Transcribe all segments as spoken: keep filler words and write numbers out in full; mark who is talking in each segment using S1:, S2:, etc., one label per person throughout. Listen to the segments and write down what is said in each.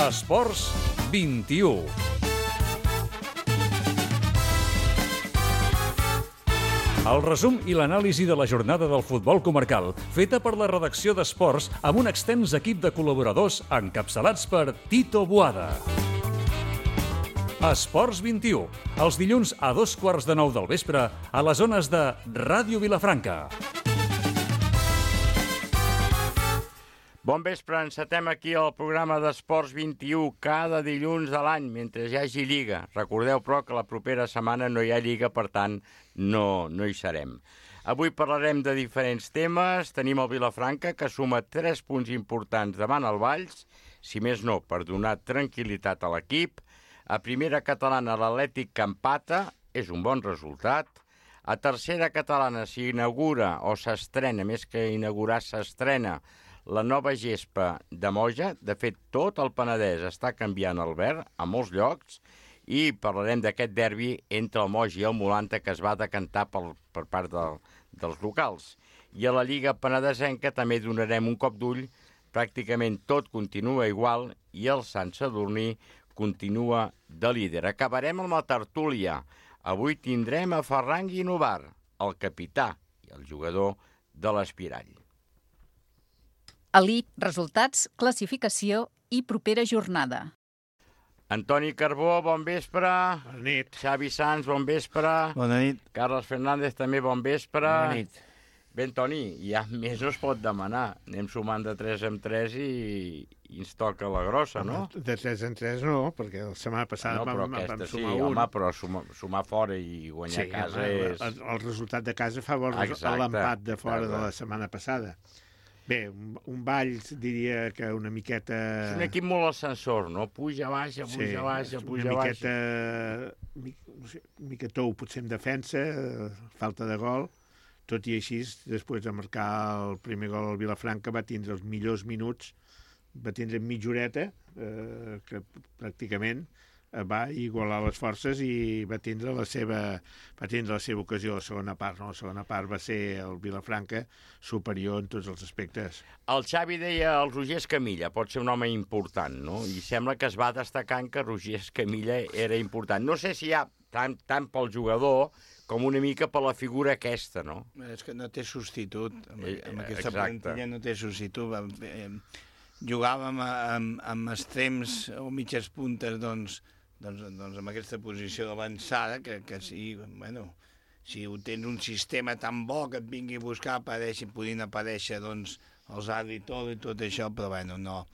S1: Esports vint-i-u. El resum i l'anàlisi de la jornada del futbol comarcal, feta per la redacció d'Esports amb un extens equip de col·laboradors encapçalats per Tito Boada. Esports vint-i-u, els dilluns a dos quarts de nou del vespre a les zones de Ràdio Vilafranca.
S2: Bon vespre, encetem aquí el programa d'Esports vint-i-u cada dilluns de l'any, mentre hi hagi Lliga. Recordeu, però, que la propera setmana no hi ha Lliga, per tant, no, no hi serem. Avui parlarem de diferents temes. Tenim el Vilafranca, que suma tres punts importants davant el Valls, si més no, per donar tranquil·litat a l'equip. A primera catalana, l'Atlètic que empata, és un bon resultat. A tercera catalana s'inaugura o s'estrena, més que inaugurar, s'estrena la nova gespa de Moja. De fet, tot el Penedès està canviant el verd a molts llocs i parlarem d'aquest derbi entre el Moja i el Molanta que es va decantar per, per part del, dels locals. I a la Lliga Penedesenca també donarem un cop d'ull. Pràcticament tot continua igual i el Sant Sadurní continua de líder. Acabarem amb la tertúlia. Avui tindrem a Ferran Guinovar, el capità i el jugador de l'Espirall.
S3: Elip, resultats, classificació i propera jornada.
S2: Antoni Carbó, bon vespre.
S4: Bona nit.
S2: Xavi Sanz, bon vespre.
S5: Bona nit.
S2: Carles Fernández, també bon vespre.
S5: Bona nit.
S2: Bé, Antoni, ja més no es pot demanar. Anem sumant de tres en tres i, i ens toca la grossa, no?
S4: De tres en tres no, perquè la setmana passada
S2: no,
S4: vam,
S2: vam
S4: vam
S2: sí,
S4: sumar un.
S2: Home, però sumar, sumar fora i guanyar
S4: sí,
S2: a casa
S4: home,
S2: és...
S4: El, el resultat de casa fa bo l'empat de fora exacte. De la setmana passada. Bé, un, un Valls diria que una miqueta...
S2: És un equip molt ascensor, no? Puja, baixa, puja, sí, baixa, puja,
S4: una
S2: baixa.
S4: Miqueta, mi, no sé, una miqueta tou, potser en defensa, falta de gol. Tot i així, després de marcar el primer gol al Vilafranca, va tindre els millors minuts, va tindre mitja horeta, eh, que pràcticament va igualar les forces i va tindre la seva, va tindre la seva ocasió a la segona part. No? La segona part va ser el Vilafranca superior en tots els aspectes.
S2: El Xavi deia el Roger Escamilla, pot ser un home important, no? I sembla que es va destacant que Roger Escamilla era important. No sé si hi ha tant, tant pel jugador com una mica per la figura aquesta, no?
S5: És que no té substitut. Amb,
S2: eh,
S5: amb aquesta
S2: exacte.
S5: plantilla no té substitut. Eh, jugàvem amb, amb extrems o mitges puntes, doncs, doncs, doncs amb aquesta posició d'avançada, que, que sí, bueno, si ho tens un sistema tan bo que et vingui a buscar, apareixen, podien aparèixer, doncs, els àrbits i tot, i tot això, però, bueno, no,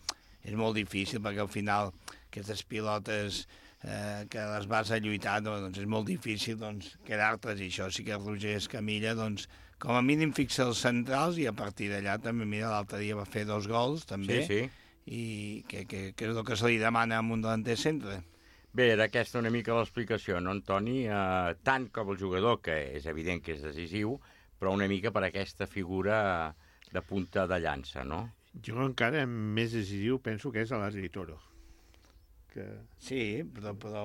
S5: és molt difícil, perquè al final aquestes pilotes eh, que les vas a lluitar, doncs és molt difícil, doncs, quedar-te's, i això sí que el Roger Escamilla, doncs, com a mínim fixa els centrals, i a partir d'allà també, mira, l'altre dia va fer dos gols, també,
S2: sí, sí.
S5: I que, que, que és el que se li demana a un delanter centre.
S2: Bé, era aquesta una mica l'explicació, no, Antoni? Eh, tant com el jugador, que és evident que és decisiu, però una mica per aquesta figura de punta de llança, no?
S4: Jo encara més decisiu penso que és a l'Adri Toro. Que...
S5: Sí, però, però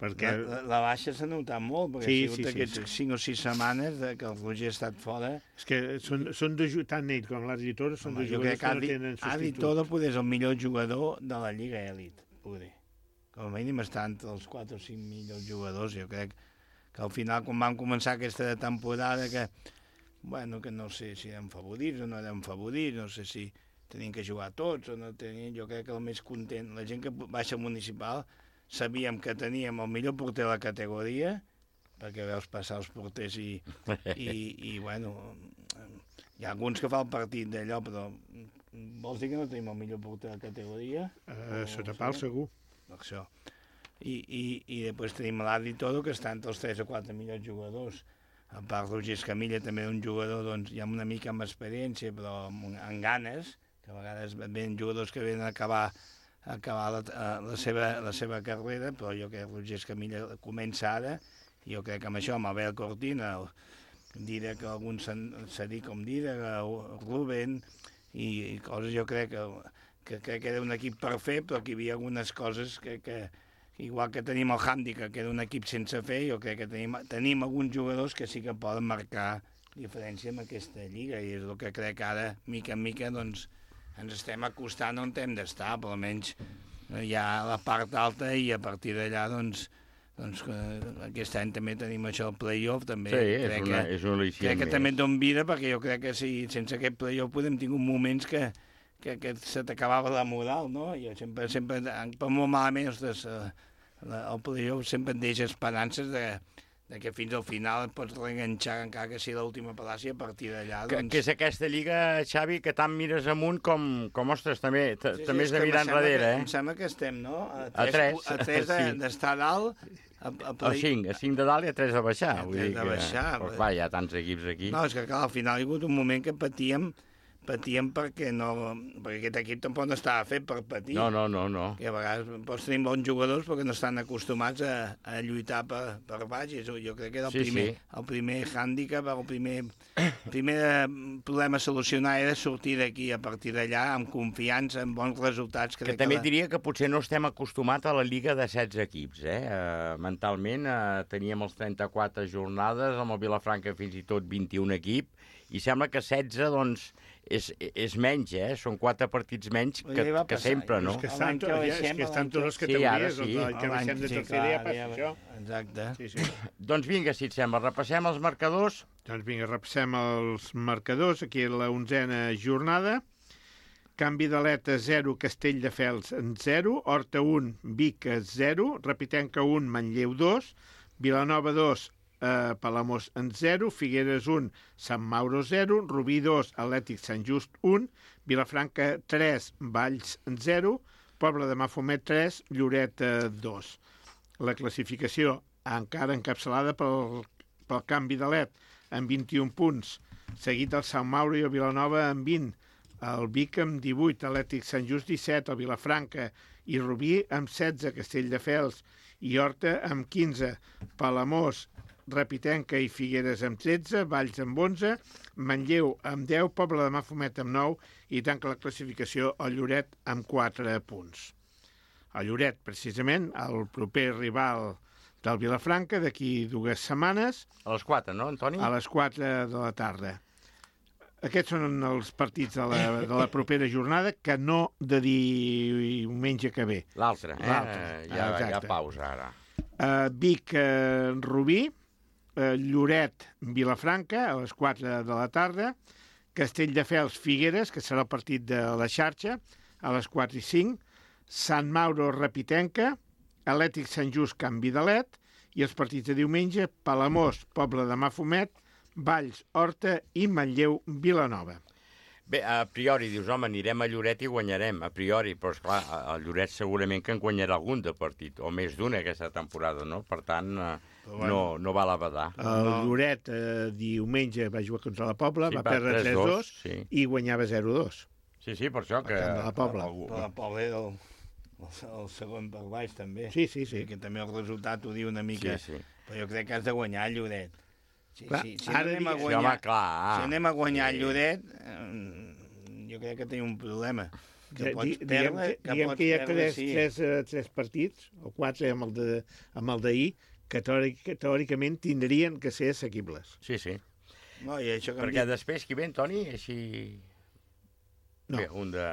S4: perquè...
S5: la, la baixa s'ha notat molt, perquè
S4: sí,
S5: ha sigut
S4: sí,
S5: aquests
S4: sí, sí.
S5: cinc o sis setmanes de que el Roger ha estat fora.
S4: És que són, són de, tant ell com l'Adri Toro són Home, de jugadors que, que no tenen substitut.
S5: Adri Toro poder és el millor jugador de la Lliga Elit, poder. Com a mínim està entre els quatre o cinc millors jugadors. Jo crec que al final, quan vam començar aquesta temporada, que, bueno, que no sé si eren favorits o no eren favorits, no sé si tenien que jugar tots o no tenien, jo crec que el més content, la gent que baixa municipal, sabíem que teníem el millor porter de la categoria, perquè veus passar els porters i, i, i bueno, hi ha alguns que fa el partit d'allò, però vols dir que no tenim el millor porter de la categoria?
S4: Uh, sota pal, segur.
S5: Això. I, i, i després tenim l'Adri Toro, que està entre els tres o quatre millors jugadors. A part, Roger Escamilla també un jugador, doncs, ja una mica amb experiència, però amb, amb ganes, que a vegades venen jugadors que venen a acabar, a acabar la, la, seva, la seva carrera, però jo crec que Roger Escamilla comença ara, i jo crec que amb això, amb Abel Cortina, diré que algun serí com diré, Ruben, i, i coses jo crec que que crec que era un equip per fer, però que hi havia algunes coses que, que igual que tenim el hàndicap, que era un equip sense fer, jo crec que tenim, tenim alguns jugadors que sí que poden marcar diferència en aquesta lliga, i és el que crec que ara, mica en mica, doncs, ens estem acostant on hem d'estar, però almenys hi ha la part alta i a partir d'allà, doncs, doncs aquest any també tenim això, el play-off, també.
S2: Sí, és
S5: crec
S2: una,
S5: que,
S2: és una al·licient
S5: crec que
S2: més.
S5: també et don vida, perquè jo crec que si, sense aquest play-off podem tingut moments que, que, que se t'acabava la moral, no? Jo sempre, sempre, per molt malament, ostres, el play-off sempre et deixa esperances de, de que fins al final et pots reenganxar encara que sigui l'última pel·làcia, a partir d'allà,
S2: Que,
S5: doncs...
S2: que és aquesta lliga, Xavi, que tant mires amunt com, com ostres, també, t-
S5: Sí, sí,
S2: també
S5: és
S2: has de
S5: que
S2: mirar
S5: em sembla
S2: enrere,
S5: que,
S2: eh?
S5: Em sembla que estem, no? A
S2: A tres,
S5: a tres de-
S2: sí.
S5: d'estar dalt, a, a
S2: A
S5: play...
S2: cinc, a cinc de dalt i a tres de baixar.
S5: A
S2: Vull
S5: tres
S2: dir
S5: de
S2: que,
S5: baixar,
S2: Però,
S5: vull-
S2: clar, hi ha tants equips aquí.
S5: No, és que clar, al final hi ha hagut un moment que patíem, patíem perquè no... perquè aquest equip tampoc no estava fet per patir.
S2: No, no, no, no.
S5: Que a vegades pots tenir bons jugadors perquè no estan acostumats a, a lluitar per, per baix. És- Jo crec que era el,
S2: Sí,
S5: primer,
S2: sí.
S5: el primer hàndicap, el primer, primer eh, problema a solucionar era sortir d'aquí a partir d'allà amb confiança, amb bons resultats.
S2: Que
S5: Crec
S2: també
S5: la...
S2: diria que potser no estem acostumats a la lliga de setze equips, eh? Uh, mentalment uh, teníem els trenta-quatre jornades, amb el Vilafranca fins i tot vint-i-un equip, i sembla que setze, doncs, és, és menys, eh? Són quatre partits menys que,
S5: Ja va
S2: que
S5: passar,
S2: sempre,
S5: ja
S2: no?
S4: És que
S5: L'any
S4: estan,
S5: que
S4: to- ja,
S5: baixem,
S4: és que estan
S5: l'any que-
S4: totes les
S2: Sí,
S4: categories,
S2: ara sí.
S4: sí. L'any que
S5: L'any-
S4: baixem de
S5: sí,
S4: tercera ja
S5: clar,
S4: passa
S5: ja-
S4: això.
S5: Exacte.
S4: Sí, sí.
S2: Doncs vinga, si et sembla, repassem els marcadors.
S4: Doncs vinga, repassem els marcadors. Aquí la onzena jornada. Canvi d'Aleta zero, Castelldefels en zero, Horta un, Vic zero, Repitenca un, Manlleu dos, Vilanova dos, eh, Palamós en zero, Figueres un, Sant Mauro zero, Rubí dos, Atlètic Sant Just un, Vilafranca tres, Valls en zero, Pobla de Mafumet tres, Lloret dos. La classificació encara encapçalada pel, pel canvi d'Alet amb vint-i-un punts, seguit el Sant Mauro i el Vilanova amb vint, el Vic amb divuit, Atlètic Sant Just disset, el Vilafranca i Rubí amb setze, Castelldefels i Horta amb quinze, Palamós, Repitenca i Figueres amb tretze, Valls amb onze, Manlleu amb deu, Pobla de Mafumet amb nou i tanca la classificació el Lloret amb quatre punts. El Lloret, precisament, el proper rival del Vilafranca d'aquí dues setmanes
S2: A les quatre, no, Antoni?
S4: a les quatre de la tarda. Aquests són els partits de la, de la propera jornada, que no de diumenge que ve.
S2: L'altre, eh?
S4: L'altre,
S2: Ja, ja
S4: exacte.
S2: pausa, ara.
S4: Uh, Vic, uh, Rubí, uh, Lloret, Vilafranca, a les quatre de la tarda, Castelldefels, Figueres, que serà el partit de la xarxa, a les quatre i cinc, Sant Mauro, Repitenca, Atlètic Sant Just, Canvi d'Alet, i els partits de diumenge, Palamós, Pobla de Mafumet, Valls, Horta i Manlleu, Vilanova.
S2: Bé, a priori dius, home, anirem a Lloret i guanyarem, a priori, però esclar, el Lloret segurament que en guanyarà algun de partit, o més d'un aquesta temporada, no? Per tant, eh,
S4: bueno.
S2: no, no val a badar.
S4: El Lloret eh, diumenge va jugar contra la Pobla,
S2: Sí,
S4: va
S2: va
S4: perdre
S2: tres
S4: tres dos
S2: sí.
S4: i guanyava zero dos.
S2: Sí, sí, per això que...
S4: camp de la Pobla.
S2: algú-
S5: Però la Pobla era el, el, el segon per baix, també.
S4: Sí, sí, sí.
S5: Que també el resultat ho diu una mica.
S2: Sí, sí.
S5: Però jo crec que has de guanyar el Lloret. Sí,
S4: Clar,
S5: sí, si,
S4: ara
S5: no anem a
S4: digue-
S2: Sí,
S5: guanyar,
S2: home, clar.
S5: si anem a guanyar
S2: Sí.
S5: el Lloret, eh, jo crec que tenim un problema. Que
S4: Di-
S5: pots
S4: di-
S5: perdre,
S4: diguem que,
S5: que
S4: diguem
S5: pots
S4: que hi ha
S5: perdre,
S4: tres,
S5: sí.
S4: tres, eh, tres partits, o quatre amb el de- amb el d'ahir, que teòric, teòricament tindrien que ser assequibles.
S2: Sí, sí.
S5: No, i això que em
S2: Perquè
S5: dic-
S2: després, qui ve, Toni? Així...
S4: No.
S2: Bé, un de...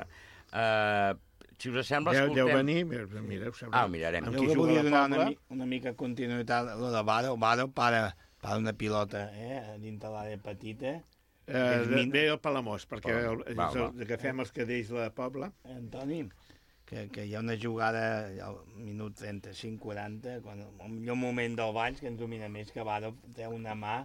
S2: Uh, si us sembla,
S4: Deu,
S2: escoltem...
S4: deu venir, mira, mira, ho sabreu.
S2: Ah, ho mirarem.
S4: Amb
S5: Jo
S4: qui
S5: que
S4: juga
S5: volia
S4: la
S5: donar una,
S4: Pobla,
S5: mi- una mica continuïtat a lo de Varo. Varo para, para una pilota eh, dintre l'àrea petita.
S4: eh,
S5: és
S4: de,
S5: min-
S4: ve el Palamós, perquè el,
S2: Va,
S4: és el,
S2: va.
S4: agafem els cadells de la Pobla.
S5: Eh, Antoni, que, que hi ha una jugada al minut trenta-cinc quaranta, quan el millor moment del Valls, que ens domina més, que Varo té una mà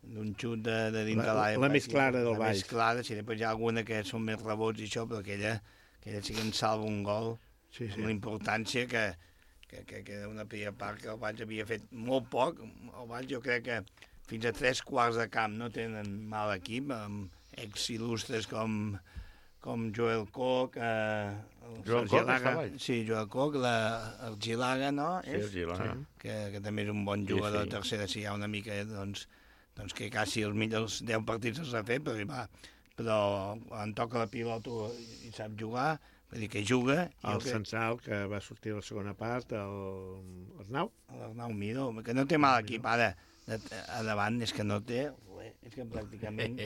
S5: d'un xut de, de dintre
S4: La-
S5: l'àrea
S4: la més
S5: petita,
S4: clara del
S5: la
S4: Valls.
S5: més clara, si després hi ha alguna que són més rebots i això, però aquella, aquella sí que ens salva un gol,
S4: Sí, sí.
S5: amb la importància que, que, que, que era una primera part que el Valls havia fet molt poc. El Valls jo crec que fins a tres quarts de camp no tenen mal equip, amb ex-il·lustres com, com Joel Koch, eh, el
S2: Joel
S5: Sergi
S2: Koch
S5: Laga.
S2: està a Valls?
S5: Sí, Joel Koch, la, el Gilaga, no?
S2: Sí,
S5: És?
S2: el Gila.
S5: que, que també és un bon
S2: Sí,
S5: jugador
S2: sí.
S5: de tercera, si hi ha una mica, doncs, doncs que quasi els millors deu partits els ha fet, però, va, però quan toca la pilota i sap jugar, vull dir que juga. i
S4: El
S5: jo crec-
S4: Censal, que va sortir a la segona part, el Arnau.
S5: L'Arnau Miró, que no té mal equip ara, de- a davant és que no té res, és que pràcticament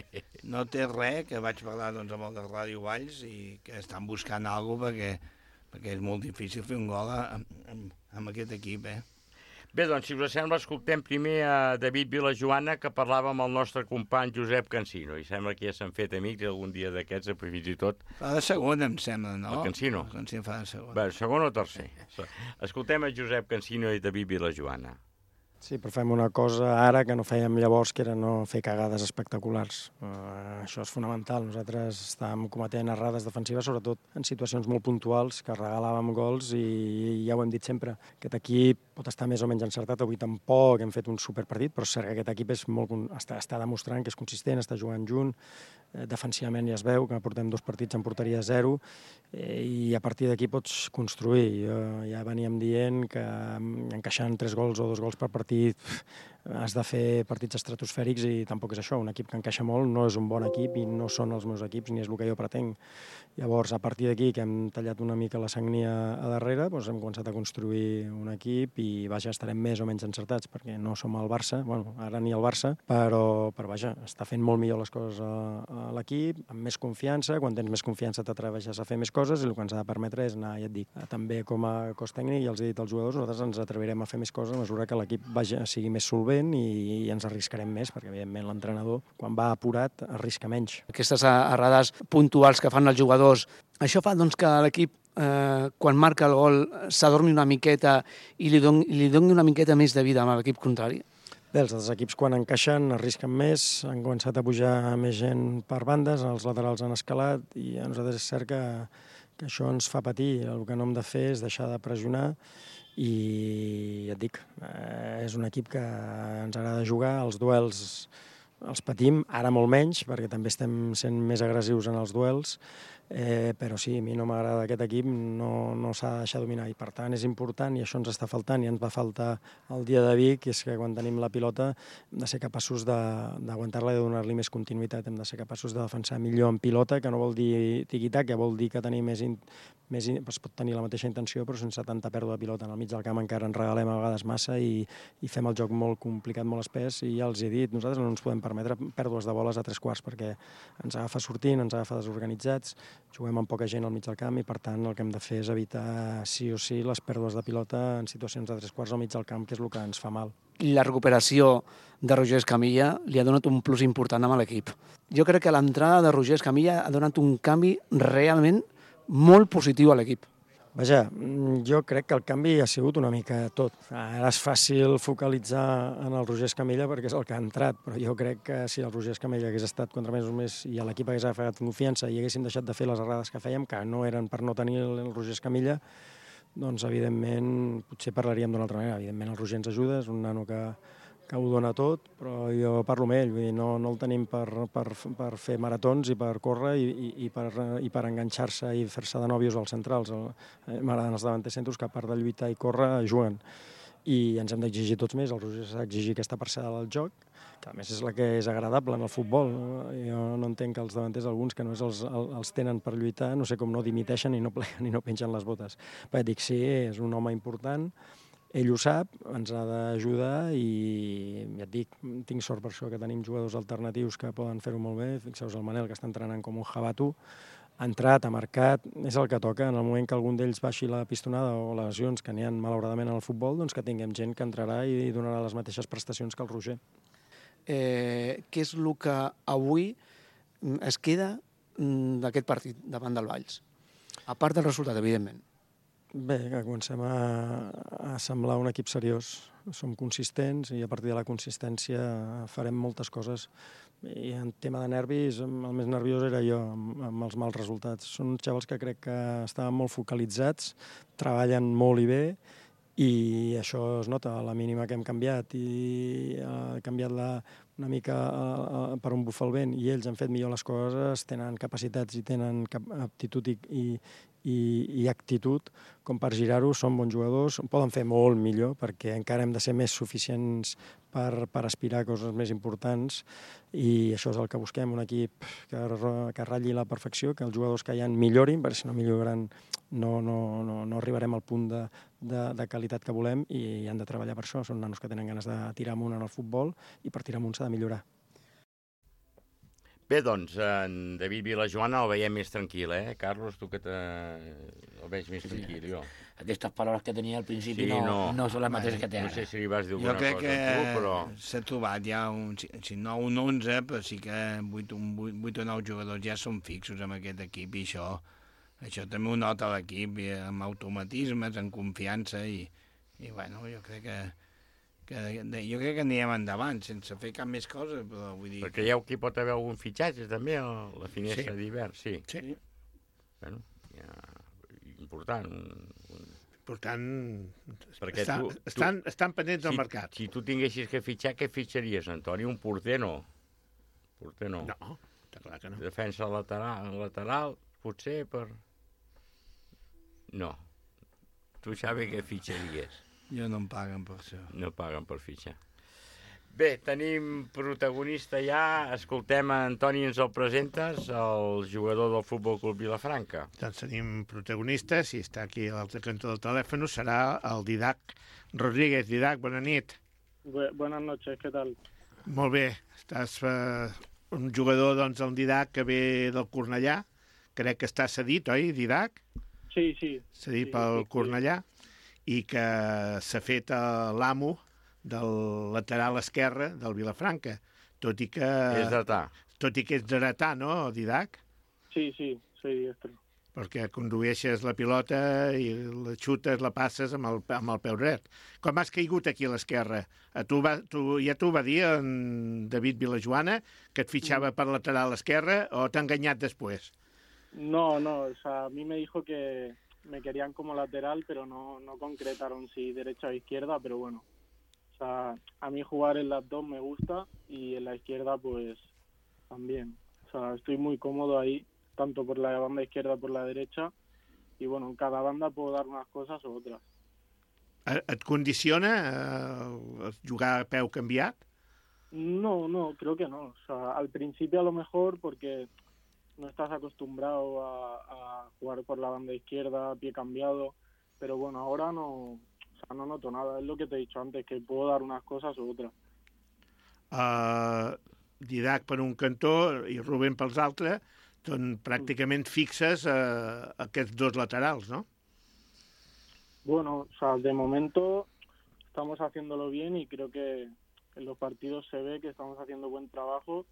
S5: no té res, que vaig parlar doncs, amb el de Ràdio Valls i que estan buscant alguna cosa perquè, perquè és molt difícil fer un gol amb, amb, amb aquest equip, eh?
S2: Bé, doncs, si us sembla, escoltem primer a David Vilajoana, que parlava amb el nostre company Josep Cansino, i sembla que ja s'han fet amics algun dia d'aquests, fins i tot...
S5: Fa de segon, em sembla, no?
S2: El Cansino?
S5: El Cansino fa de segon.
S2: Bé, segon o tercer? Escoltem a Josep Cansino i David Vilajoana.
S6: Sí, però fem una cosa ara que no fèiem llavors, que era no fer cagades espectaculars. Uh, això és fonamental. Nosaltres estàvem cometent errades defensives, sobretot en situacions molt puntuals, que regalàvem gols i ja ho hem dit sempre. Aquest equip pot estar més o menys encertat, avui tampoc hem fet un superpartit, però és cert que aquest equip és molt, està, està demostrant que és consistent, està jugant junt, eh, defensivament ja es veu que portem dos partits en porteria zero, eh, i a partir d'aquí pots construir. Uh, ja veníem dient que encaixant tres gols o dos gols per partit has de fer partits estratosfèrics i tampoc és això. Un equip que encaixa molt no és un bon equip i no són els meus equips ni és el que jo pretenc. Llavors, a partir d'aquí, que hem tallat una mica la sagnia a darrere, doncs hem començat a construir un equip i, vaja, estarem més o menys encertats, perquè no som el Barça, bueno, ara ni el Barça, però, però vaja, està fent molt millor les coses a, a l'equip, amb més confiança. Quan tens més confiança t'atreveixes a fer més coses i el que ens ha de permetre és anar, ja et dic, també com a cos tècnic, i els he dit als jugadors, nosaltres ens atrevirem a fer més coses a mesura que l'equip sigui més solvent i, i ens arriscarem més, perquè evidentment l'entrenador, quan va apurat, arrisca menys.
S7: Aquestes errades puntuals que fan els jugadors, això fa doncs, que l'equip, eh, quan marca el gol, s'adormi una miqueta i li doni, li doni una miqueta més de vida a l'equip contrari?
S6: Bé, els altres equips quan encaixen arrisquen més, han començat a pujar més gent per bandes, els laterals han escalat i a nosaltres és cert que, que això ens fa patir. El que no hem de fer és deixar de pressionar i ja et dic, eh, és un equip que ens agrada jugar, els duels els patim, ara molt menys, perquè també estem sent més agressius en els duels, eh, però sí, a mi no m'agrada aquest equip, no, no s'ha de deixar dominar, i per tant és important, i això ens està faltant, i ens va faltar el dia de Vic, és que quan tenim la pilota hem de ser capaços d'aguantar-la i de donar-li més continuïtat, hem de ser capaços de defensar millor en pilota, que no vol dir tiqui-tac, que vol dir que tenir més, in, més in, es pot tenir la mateixa intenció, però sense tanta pèrdua de pilota. En el mig del camp encara ens regalem a vegades massa i, i fem el joc molt complicat, molt espès, i ja els he dit, nosaltres no ens podem permetre pèrdues de boles a tres quarts, perquè ens agafa sortint, ens agafa desorganitzats, juguem amb poca gent al mig del camp i per tant el que hem de fer és evitar sí o sí les pèrdues de pilota en situacions de tres quarts al mig del camp, que és el que ens fa mal.
S7: La recuperació de Roger Escamilla li ha donat un plus important a l'equip. Jo crec que l'entrada de Roger Escamilla ha donat un canvi realment molt positiu a l'equip.
S6: Vaja, jo crec que el canvi ha sigut una mica tot. Ara és fàcil focalitzar en el Roger Escamilla perquè és el que ha entrat, però jo crec que si el Roger Escamilla hagués estat contra més o més i l'equip hagués agafat confiança i haguéssim deixat de fer les errades que fèiem, que no eren per no tenir el Roger Escamilla, doncs evidentment potser parlaríem d'una altra manera. Evidentment el Roger ens ajuda, és un nano que que ho dona tot, però jo parlo amb ell, vull dir, no, no el tenim per, per, per fer maratons i per córrer i, i, i per, i per enganxar-se i fer-se de nòvios als centrals. M'agraden els davanters centres que a part de lluitar i córrer juguen. I ens hem d'exigir tots més, el Roger s'ha d'exigir aquesta parcel·la del joc, que a més és la que és agradable en el futbol. Jo no entenc que els davanters, alguns que només els, els tenen per lluitar, no sé com no dimiteixen i no pleguen i no pengen les botes. Però dic, sí, és un home important, ell ho sap, ens ha d'ajudar i ja et dic, tinc sort per això que tenim jugadors alternatius que poden fer-ho molt bé. Fixeu-vos el Manel, que està entrenant com un jabato, ha entrat, ha marcat, és el que toca. En el moment que algun d'ells baixi la pistonada o lesions que n'hi ha malauradament en el futbol, doncs que tinguem gent que entrarà i donarà les mateixes prestacions que el Roger.
S7: Eh, què és el que avui es queda d'aquest partit davant del Valls? A part del resultat, evidentment.
S6: Bé, que comencem a, a semblar un equip seriós. Som consistents i a partir de la consistència farem moltes coses. I en tema de nervis, el més nerviós era jo, amb, amb els mals resultats. Són uns xavals que crec que estaven molt focalitzats, treballen molt i bé, i això es nota a la mínima que hem canviat i ha canviat la, una mica uh, uh, per on bufa el vent i ells han fet millor les coses, tenen capacitats i tenen cap aptitud i, i, i, i actitud com per girar-ho, són bons jugadors, poden fer molt millor perquè encara hem de ser més suficients per, per aspirar a coses més importants i això és el que busquem, un equip que, que ratlli la perfecció, que els jugadors que hi ha millorin, perquè si no milloren no, no, no, no arribarem al punt de, de, de qualitat que volem i han de treballar per això, són nanos que tenen ganes de tirar amunt en el futbol i per tirar amunt s'ha de millorar.
S2: Bé, doncs, en David Vilajoana el veiem més tranquil, eh? Carlos, tu que te... el veig més tranquil, jo.
S8: Aquestes paraules que tenia al principi
S2: Sí,
S8: no,
S2: no.
S8: no són les mateixes que té
S2: No
S8: ara.
S2: sé si li vas dir
S5: Jo
S2: alguna
S5: crec
S2: cosa
S5: que
S2: a tu, però...
S5: s'ha trobat ja un, si, si no un onze, però sí que vuit, un, vuit, vuit o nou jugadors ja són fixos amb aquest equip i això, això també ho nota l'equip i amb automatismes, amb confiança i, i bueno, jo crec que, que jo crec que anirem endavant sense fer cap més cosa, però vull dir...
S2: Perquè creieu que hi pot haver algun fitxatge també a la finestra
S4: Sí.
S2: d'hivern? Sí.
S4: Sí.
S2: Bueno, ja... important. Un, un...
S4: Per tant,
S2: Perquè
S4: està,
S2: tu- tu-
S4: estan, estan pendents del
S2: Si,
S4: mercat.
S2: si tu tinguessis que fitxar, què fitxaries, Antoni? Un porter no. Porter no.
S4: No, està clar que no.
S2: Defensa lateral, lateral, potser per... No. Tu, Xavi, què fitxaries?
S5: Jo no em paguen per això.
S2: No paguen per fitxar. Bé, tenim protagonista ja. Escoltem a Antoni, ens el presentes, el jugador del Futbol Club Vilafranca.
S4: Doncs tenim protagonistes i està aquí a l'altre cantó del telèfon, serà el Didac Rodríguez. Didac, bona nit.
S9: Bu buenas noches, ¿qué tal?
S4: Molt bé, estàs eh, un jugador, doncs, el Didac, que ve del Cornellà. Crec que està cedit, oi, Didac?
S9: Sí, sí.
S4: Cedit
S9: Sí,
S4: pel
S9: sí, sí.
S4: Cornellà i que s'ha fet eh, l'amo del lateral esquerre del Vilafranca, tot i que...
S2: És dretà.
S4: Tot i que ets dretà, no, Didac?
S9: Sí, sí, soy diestro.
S4: Perquè condueixes la pilota i la xutes, la passes amb el, amb el peu dret. Com has caigut aquí a l'esquerra? A Tu va, tu, ja t'ho va dir en David Vilajoana, que et fitxava per lateral esquerra, o t'ha enganyat després?
S9: No, no, o sea, a mí me dijo que me querían como lateral, pero no, no concretaron si derecha o izquierda, pero bueno. O sea, a mí jugar en las dos me gusta y en la izquierda pues también. O sea, estoy muy cómodo ahí, tanto por la banda izquierda como por la derecha. Y bueno, en cada banda puedo dar unas cosas o otras.
S4: Et condiciona eh, jugar a peu canviat?
S9: No, no, creo que no. O sea, al principio a lo mejor porque no estás acostumbrado a, a jugar por la banda izquierda, pie cambiado, pero bueno, ahora no, o sea, no noto nada. Es lo que te he dicho antes, que puedo dar unas cosas u otras.
S4: Uh, Didac per un cantó i Rubén pels altres, doncs pràcticament fixes uh, aquests dos laterals, no?
S9: Bueno, o sea, de momento estamos haciéndolo bien y creo que en los partidos se ve que estamos haciendo buen trabajo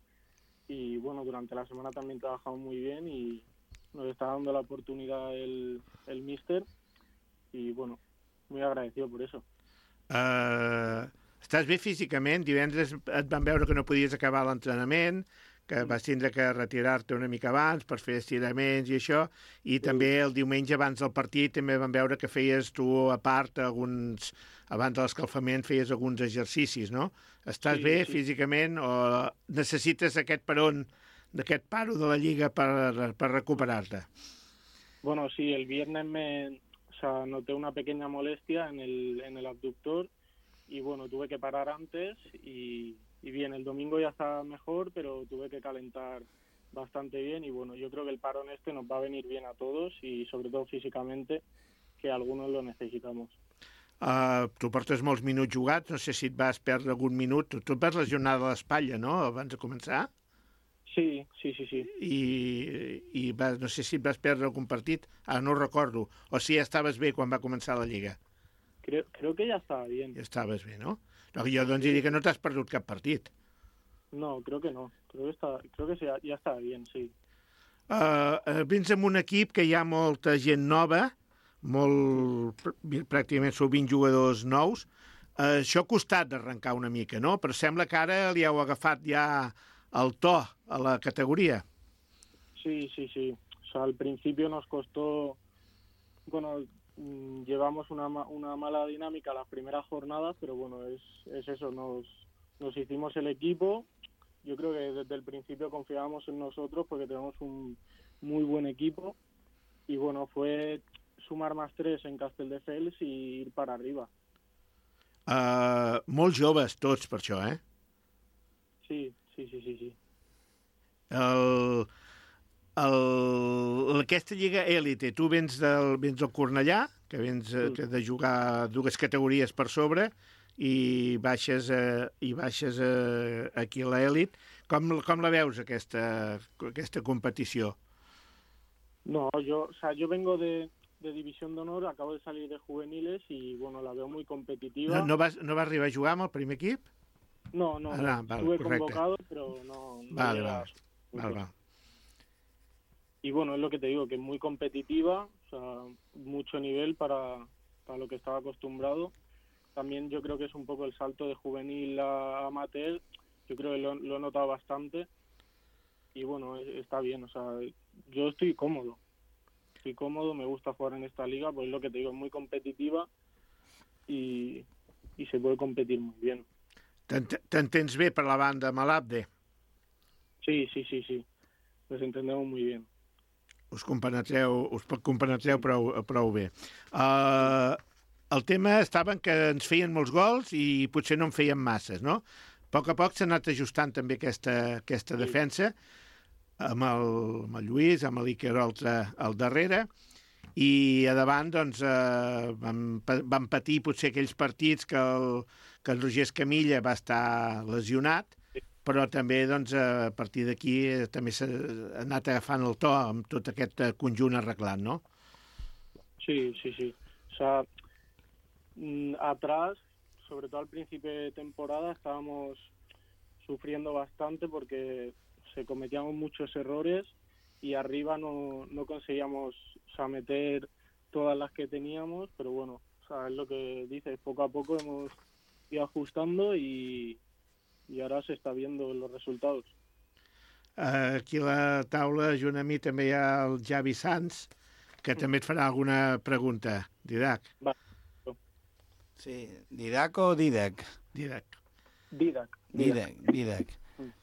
S9: y bueno, durante la semana también trabajamos muy bien y nos está dando la oportunidad el, el míster y bueno, muy agradecido por eso.
S4: Uh, estàs bé físicament? Divendres et van veure que no podies acabar l'entrenament, que vas tindre que retirar-te una mica abans per fer estiraments i això, i també el diumenge abans del partit també van veure que feies tu a part alguns, abans de l'escalfament feies alguns exercicis, no? Estàs
S9: Sí,
S4: bé
S9: sí.
S4: físicament o necessites aquest peron, d'aquest paro de la Lliga per, per recuperar-te?
S9: Bueno, sí, el viernes me, o sea, noté una pequeña molestia en el, en el abductor y bueno, tuve que parar antes y, y bien, el domingo ya estaba mejor, pero tuve que calentar bastante bien y bueno, yo creo que el parón este nos va a venir bien a todos y sobre todo físicamente, que algunos lo necesitamos.
S4: Uh, tu portes molts minuts jugats, no sé si et vas perdre algun minut. Tu, tu et vas lesionar de l'espatlla, no?, abans de començar?
S9: Sí, sí, sí, sí.
S4: I, i vas, no sé si et vas perdre algun partit, ara no ho recordo, o si ja estaves bé quan va començar la Lliga.
S9: Creo, creo que ya estaba bien.
S4: Ja estaves bé, no? no jo doncs diria que no t'has perdut cap partit.
S9: No, creo que no. Creo que, está, creo que sí, ya estaba bien, sí.
S4: Uh, uh, vens amb un equip que hi ha molta gent nova, molt, pr- pràcticament són vint jugadors nous. Uh, això ha costat d'arrencar una mica, no? Però sembla que ara li heu agafat ja el to a la categoria.
S9: Sí, sí, sí. O sea, al principio nos costó, bueno, mm, llevamos una, ma- una mala dinámica las primeras jornadas, pero bueno, es, es eso, nos, nos hicimos el equipo. Yo creo que desde el principio confiábamos en nosotros porque tenemos un muy buen equipo y bueno, fue sumar más tres en Castelldefels y ir para arriba.
S4: Uh, molt joves tots per això, eh?
S9: Sí, sí, sí, sí, sí.
S4: El, el, aquesta lliga élite, tu vens del, vens del Cornellà, que vens eh,
S9: Mm.
S4: de jugar dues categories per sobre, i baixes, eh, i baixes eh, aquí a l'elit. Com, com la veus, aquesta, aquesta competició?
S9: No, yo, o sea, yo vengo de, de División de Honor, acabo de salir de juveniles y, bueno, la veo muy competitiva.
S4: No, no, vas, no vas arribar a jugar amb el primer equip?
S9: No, no,
S4: Ah,
S9: no.
S4: no, vale,
S9: estuve
S4: correcte.
S9: convocado, pero no... no
S4: Vale,
S9: llegué a-
S4: vale. Val, val.
S9: Y bueno, es lo que te digo, que es muy competitiva, o sea, mucho nivel para, para lo que estaba acostumbrado. También yo creo que es un poco el salto de juvenil a amateur, yo creo que lo, lo he notado bastante y bueno, es- está bien, o sea, yo estoy cómodo, estoy cómodo, me gusta jugar en esta liga, pues es lo que te digo, es muy competitiva y, y se puede competir muy bien.
S4: T'ent- T'entens bé per la banda amb l'Abde?
S9: Sí, sí, sí, sí, nos entendemos muy bien.
S4: Us compenetreu, us compenetreu prou, prou bé. Uh, el tema estava en que ens feien molts gols i potser no en feien masses, no? A poc a poc s'ha anat ajustant també aquesta, aquesta defensa amb el, amb el Lluís, amb l'Iker Oltra al darrere, i a davant doncs, eh, vam, pa- vam patir potser aquells partits que el, que el Roger Escamilla va estar lesionat, però també doncs, a partir d'aquí eh, també s'ha anat agafant el to amb tot aquest eh, conjunt arreglat, no?
S9: Sí, sí, sí. O sea, mm, atrás, sobre todo al principio de temporada, estábamos sufriendo bastante porque se cometíamos muchos errores y arriba no, no conseguíamos, o sea, meter todas las que teníamos, pero bueno, o sea, es lo que dices, poco a poco hemos ido ajustando y, y ahora se está viendo los resultados.
S4: Eh, Aquí a la taula, junt a mi, també hi ha el Javi Sanz, que també et farà alguna pregunta. Didac.
S5: Sí, Didac o Didac?
S4: Didac.
S9: Didac.
S5: Didac, Didac.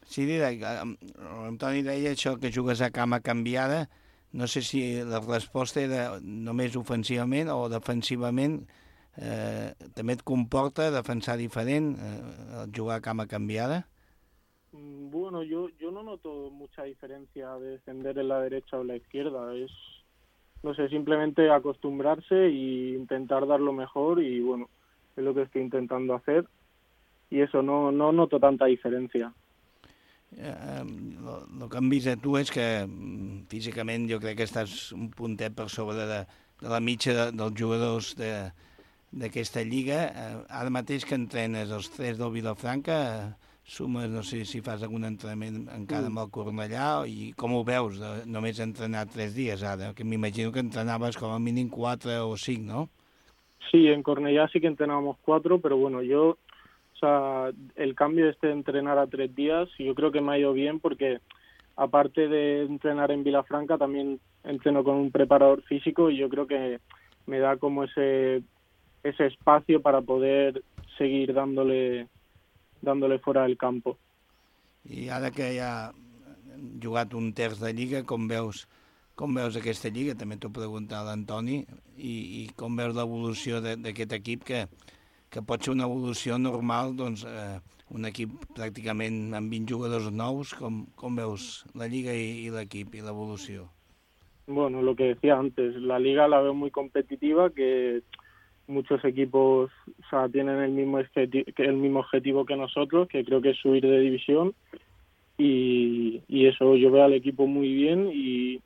S5: Sí, Didac, l'Antoni deia això que jugues a cama canviada. No sé si la resposta era només ofensivament o defensivament. Eh, també et comporta defensar diferent, eh, jugar a cama canviada?
S9: Mm, Bueno, yo, yo no noto mucha diferencia de defender en la derecha o en la izquierda. Es, no sé, simplemente acostumbrarse e intentar dar lo mejor y bueno, es lo que estoy intentando hacer. Y eso, no, no noto tanta diferencia.
S5: Eh, el que hem vist a tu és que mm, físicament jo crec que estàs un puntet per sobre de, de la mitja de, dels jugadors de, d'aquesta lliga. Eh, ara mateix que entrenes els tres del Vilafranca, eh, sumes, no sé si fas algun entrenament encara amb el Cornellà, i com ho veus, de, només entrenar tres dies ara? Que m'imagino que entrenaves com a mínim quatre o cinc, no?
S9: Sí, en Cornellá sí que entrenábamos cuatro, pero bueno, yo, o sea, el cambio este de entrenar a tres días, yo creo que me ha ido bien porque aparte de entrenar en Vilafranca, también entreno con un preparador físico y yo creo que me da como ese ese espacio para poder seguir dándole dándole fuera del campo.
S5: I ara que ja han jugat un terç de lliga, com veus, com veus aquesta lliga? També t'ho preguntat a l'Antoni, i, i com veus l'evolució de- d'aquest equip, que, que pot ser una evolució normal, doncs, eh, un equip pràcticament amb vint jugadors nous, com, com veus la lliga i, i l'equip i l'evolució?
S9: Bueno, lo que decía antes, la liga la veo muy competitiva, que muchos equipos, o sea, tienen el mismo objeti- que el mismo objetivo que nosotros, que creo que es subir de división, y, y eso, yo veo al equipo muy bien y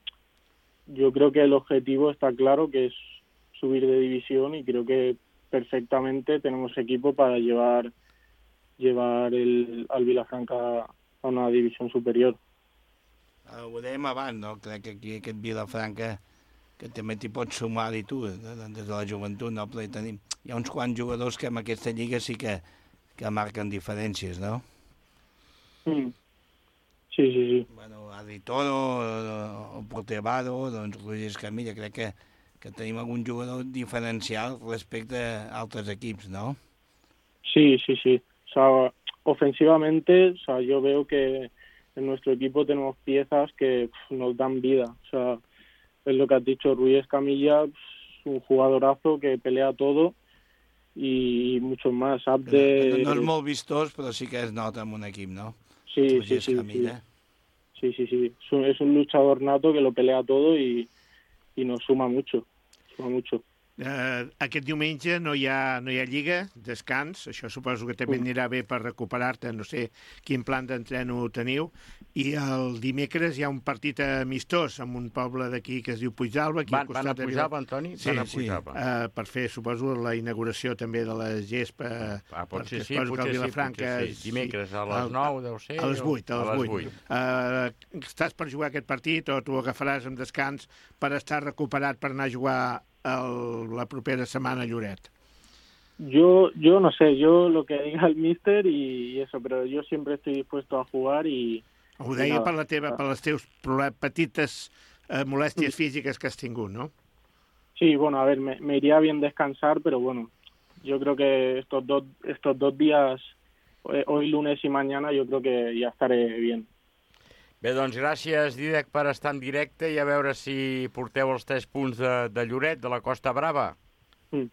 S9: yo creo que el objetivo está claro, que es subir de división, y creo que perfectamente tenemos equipo para llevar llevar el, al Vilafranca a una división superior.
S5: Eh, ho dèiem abans, no? Crec que aquí aquest Vilafranca, que també t'hi pots sumar-hi tu, de- de- des de la joventut, no? Però hi, tenim, hi ha uns quants jugadors que en aquesta lliga sí que, que marquen diferències, no?
S9: Mm. Sí, sí, sí.
S5: Bueno, Adri Toro, eh, el porter Vado, doncs Roger Escamilla, crec que, que tenim algun jugador diferencial respecte a altres equips, no?
S9: Sí, sí, sí. O sea, ofensivamente, o sea, yo veo que en nuestro equipo tenemos piezas que pf, nos dan vida. O sea, es lo que has dicho, Ruiz Escamilla, pf, un jugadorazo que pelea todo y muchos más.
S5: Que
S9: Abde,
S5: no, no és molt vistós, però sí que es nota en un equip, no?
S9: sí, sí,
S5: Roger
S9: sí, sí.
S5: Escamilla.
S9: Sí, sí, sí. Es un, es un luchador nato que lo pelea todo y, y nos suma mucho. Suma mucho.
S4: Uh, aquest diumenge no hi, ha, no hi ha lliga, descans, això suposo que també anirà bé per recuperar-te, no sé quin plan d'entreno teniu, i el dimecres hi ha un partit amistós amb un poble d'aquí que es diu Puigdàlber.
S2: Van, van a Puigdàlber, Antoni?
S4: Sí,
S2: van a
S4: sí, uh, per fer, suposo, la inauguració també de la gespa.
S2: Ah, pot ser sí, potser sí, potser sí. Dimecres a les nou, deu ser?
S4: A les vuit, a les vuit. Uh, estàs per jugar aquest partit o t'ho agafaràs amb descans per estar recuperat per anar a jugar El, la propera semana Lloret?
S9: Yo, yo no sé, yo lo que diga el míster y, y eso, pero yo siempre estoy dispuesto a jugar y...
S4: Ho deia per, la teva, per les teus petites eh, molèsties físiques que has tingut, ¿no?
S9: Sí, bueno, a ver, me, me iría bien descansar, pero bueno, yo creo que estos dos, estos dos días, hoy lunes y mañana, yo creo que ya estaré bien.
S2: Bé, doncs gràcies, Dídac, per estar en directe i a veure si porteu els tres punts de, de Lloret, de la Costa Brava.
S9: Mm.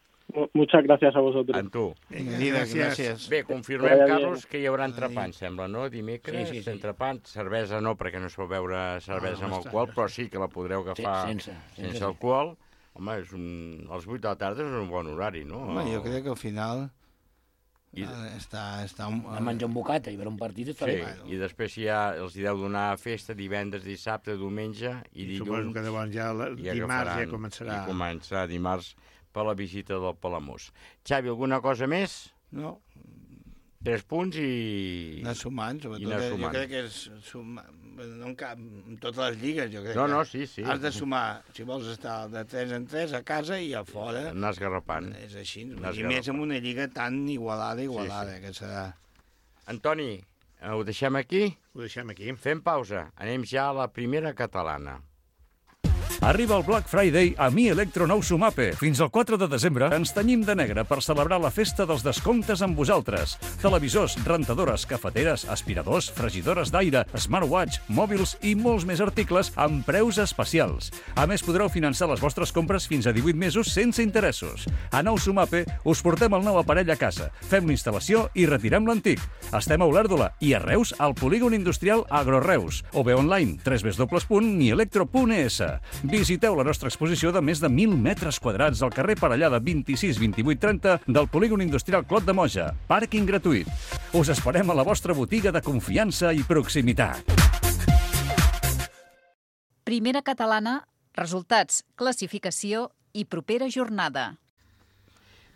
S9: Muchas gracias a vosotros.
S2: En tu.
S5: Vinga, Dídac, gràcies.
S2: Bé, confirmem, Carlos, que hi haurà entrepà, em sembla, no? Dimecres,
S8: sí, sí, sí.
S2: entrepà, cervesa no, perquè no es pot beure cervesa no, amb alcohol, però sí que la podreu agafar
S8: sí, sense, sense,
S2: sense alcohol. Home, és un... als vuit de la tarda és un bon horari, no?
S5: Home, jo crec que al final...
S2: I...
S5: Està, està un...
S8: A menjar un bocata i veure un partit està
S2: sí,
S8: bé.
S2: I després ja els hi deu donar festa divendres, dissabte, diumenge i dilluns.
S4: Suposo que llavors ja la, dimarts ja començarà.
S2: I començarà dimarts per la visita del Palamós. Xavi, alguna cosa més?
S5: No.
S2: Tres punts i...
S5: Anar sumant, sobretot.
S2: I anar sumant.
S5: Jo crec que és sumar... No en cap... En totes les lligues, jo crec
S2: no,
S5: que...
S2: No, sí, sí.
S5: Has de sumar, si vols estar de tres en tres a casa i a fora...
S2: Anar esgarrapant.
S5: És així. I més amb una lliga tan igualada, igualada, sí, sí. Que serà...
S2: Antoni, ho deixem aquí?
S4: Ho deixem aquí.
S2: Fem pausa. Anem ja a la primera catalana.
S1: Arriba el Black Friday a Mi Electro Nou Sumape. Fins al quatre de desembre ens tenyim de negre per celebrar la festa dels descomptes amb vosaltres. Televisors, rentadores, cafeteres, aspiradors, fregidores d'aire, smartwatch, mòbils i molts més articles amb preus especials. A més, podreu finançar les vostres compres fins a divuit mesos sense interessos. A Nou Sumape us portem el nou aparell a casa, fem l'instal·lació i retirem l'antic. Estem a Olèrdola i a Reus al polígon industrial Agroreus o bé online w w w punt mi electro punt e s. Visiteu la nostra exposició de més de mil metres quadrats al carrer Parellada vint-i-sis vint-i-vuit trenta del polígon industrial Clot de Moja. Pàrquing gratuït. Us esperem a la vostra botiga de confiança i proximitat.
S3: Primera catalana, resultats, classificació i propera jornada.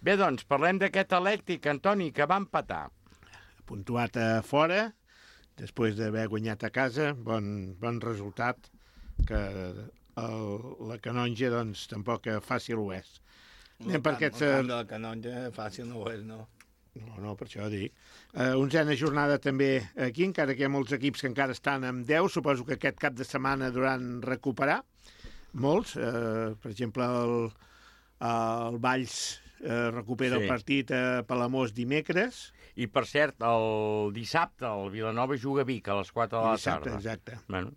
S2: Bé, doncs, parlem d'aquest Elèctric, Antoni, que va empatar.
S4: Puntuat a fora, després d'haver guanyat a casa, bon, bon resultat, que el, la Canonja, doncs, tampoc fàcil ho és.
S5: El camp, aquests... el camp de la Canonja fàcil no ho és, no?
S4: No, no, per això dic. Uh, onzena jornada també aquí, encara que hi ha molts equips que encara estan amb deu, suposo que aquest cap de setmana duran recuperar, molts. Uh, per exemple, el, el Valls uh, recupera sí. el partit a Palamós dimecres.
S2: I, per cert, el dissabte el Vilanova juga a Vic a les quatre de la
S4: dissabte,
S2: tarda.
S4: Exacte.
S2: Bueno,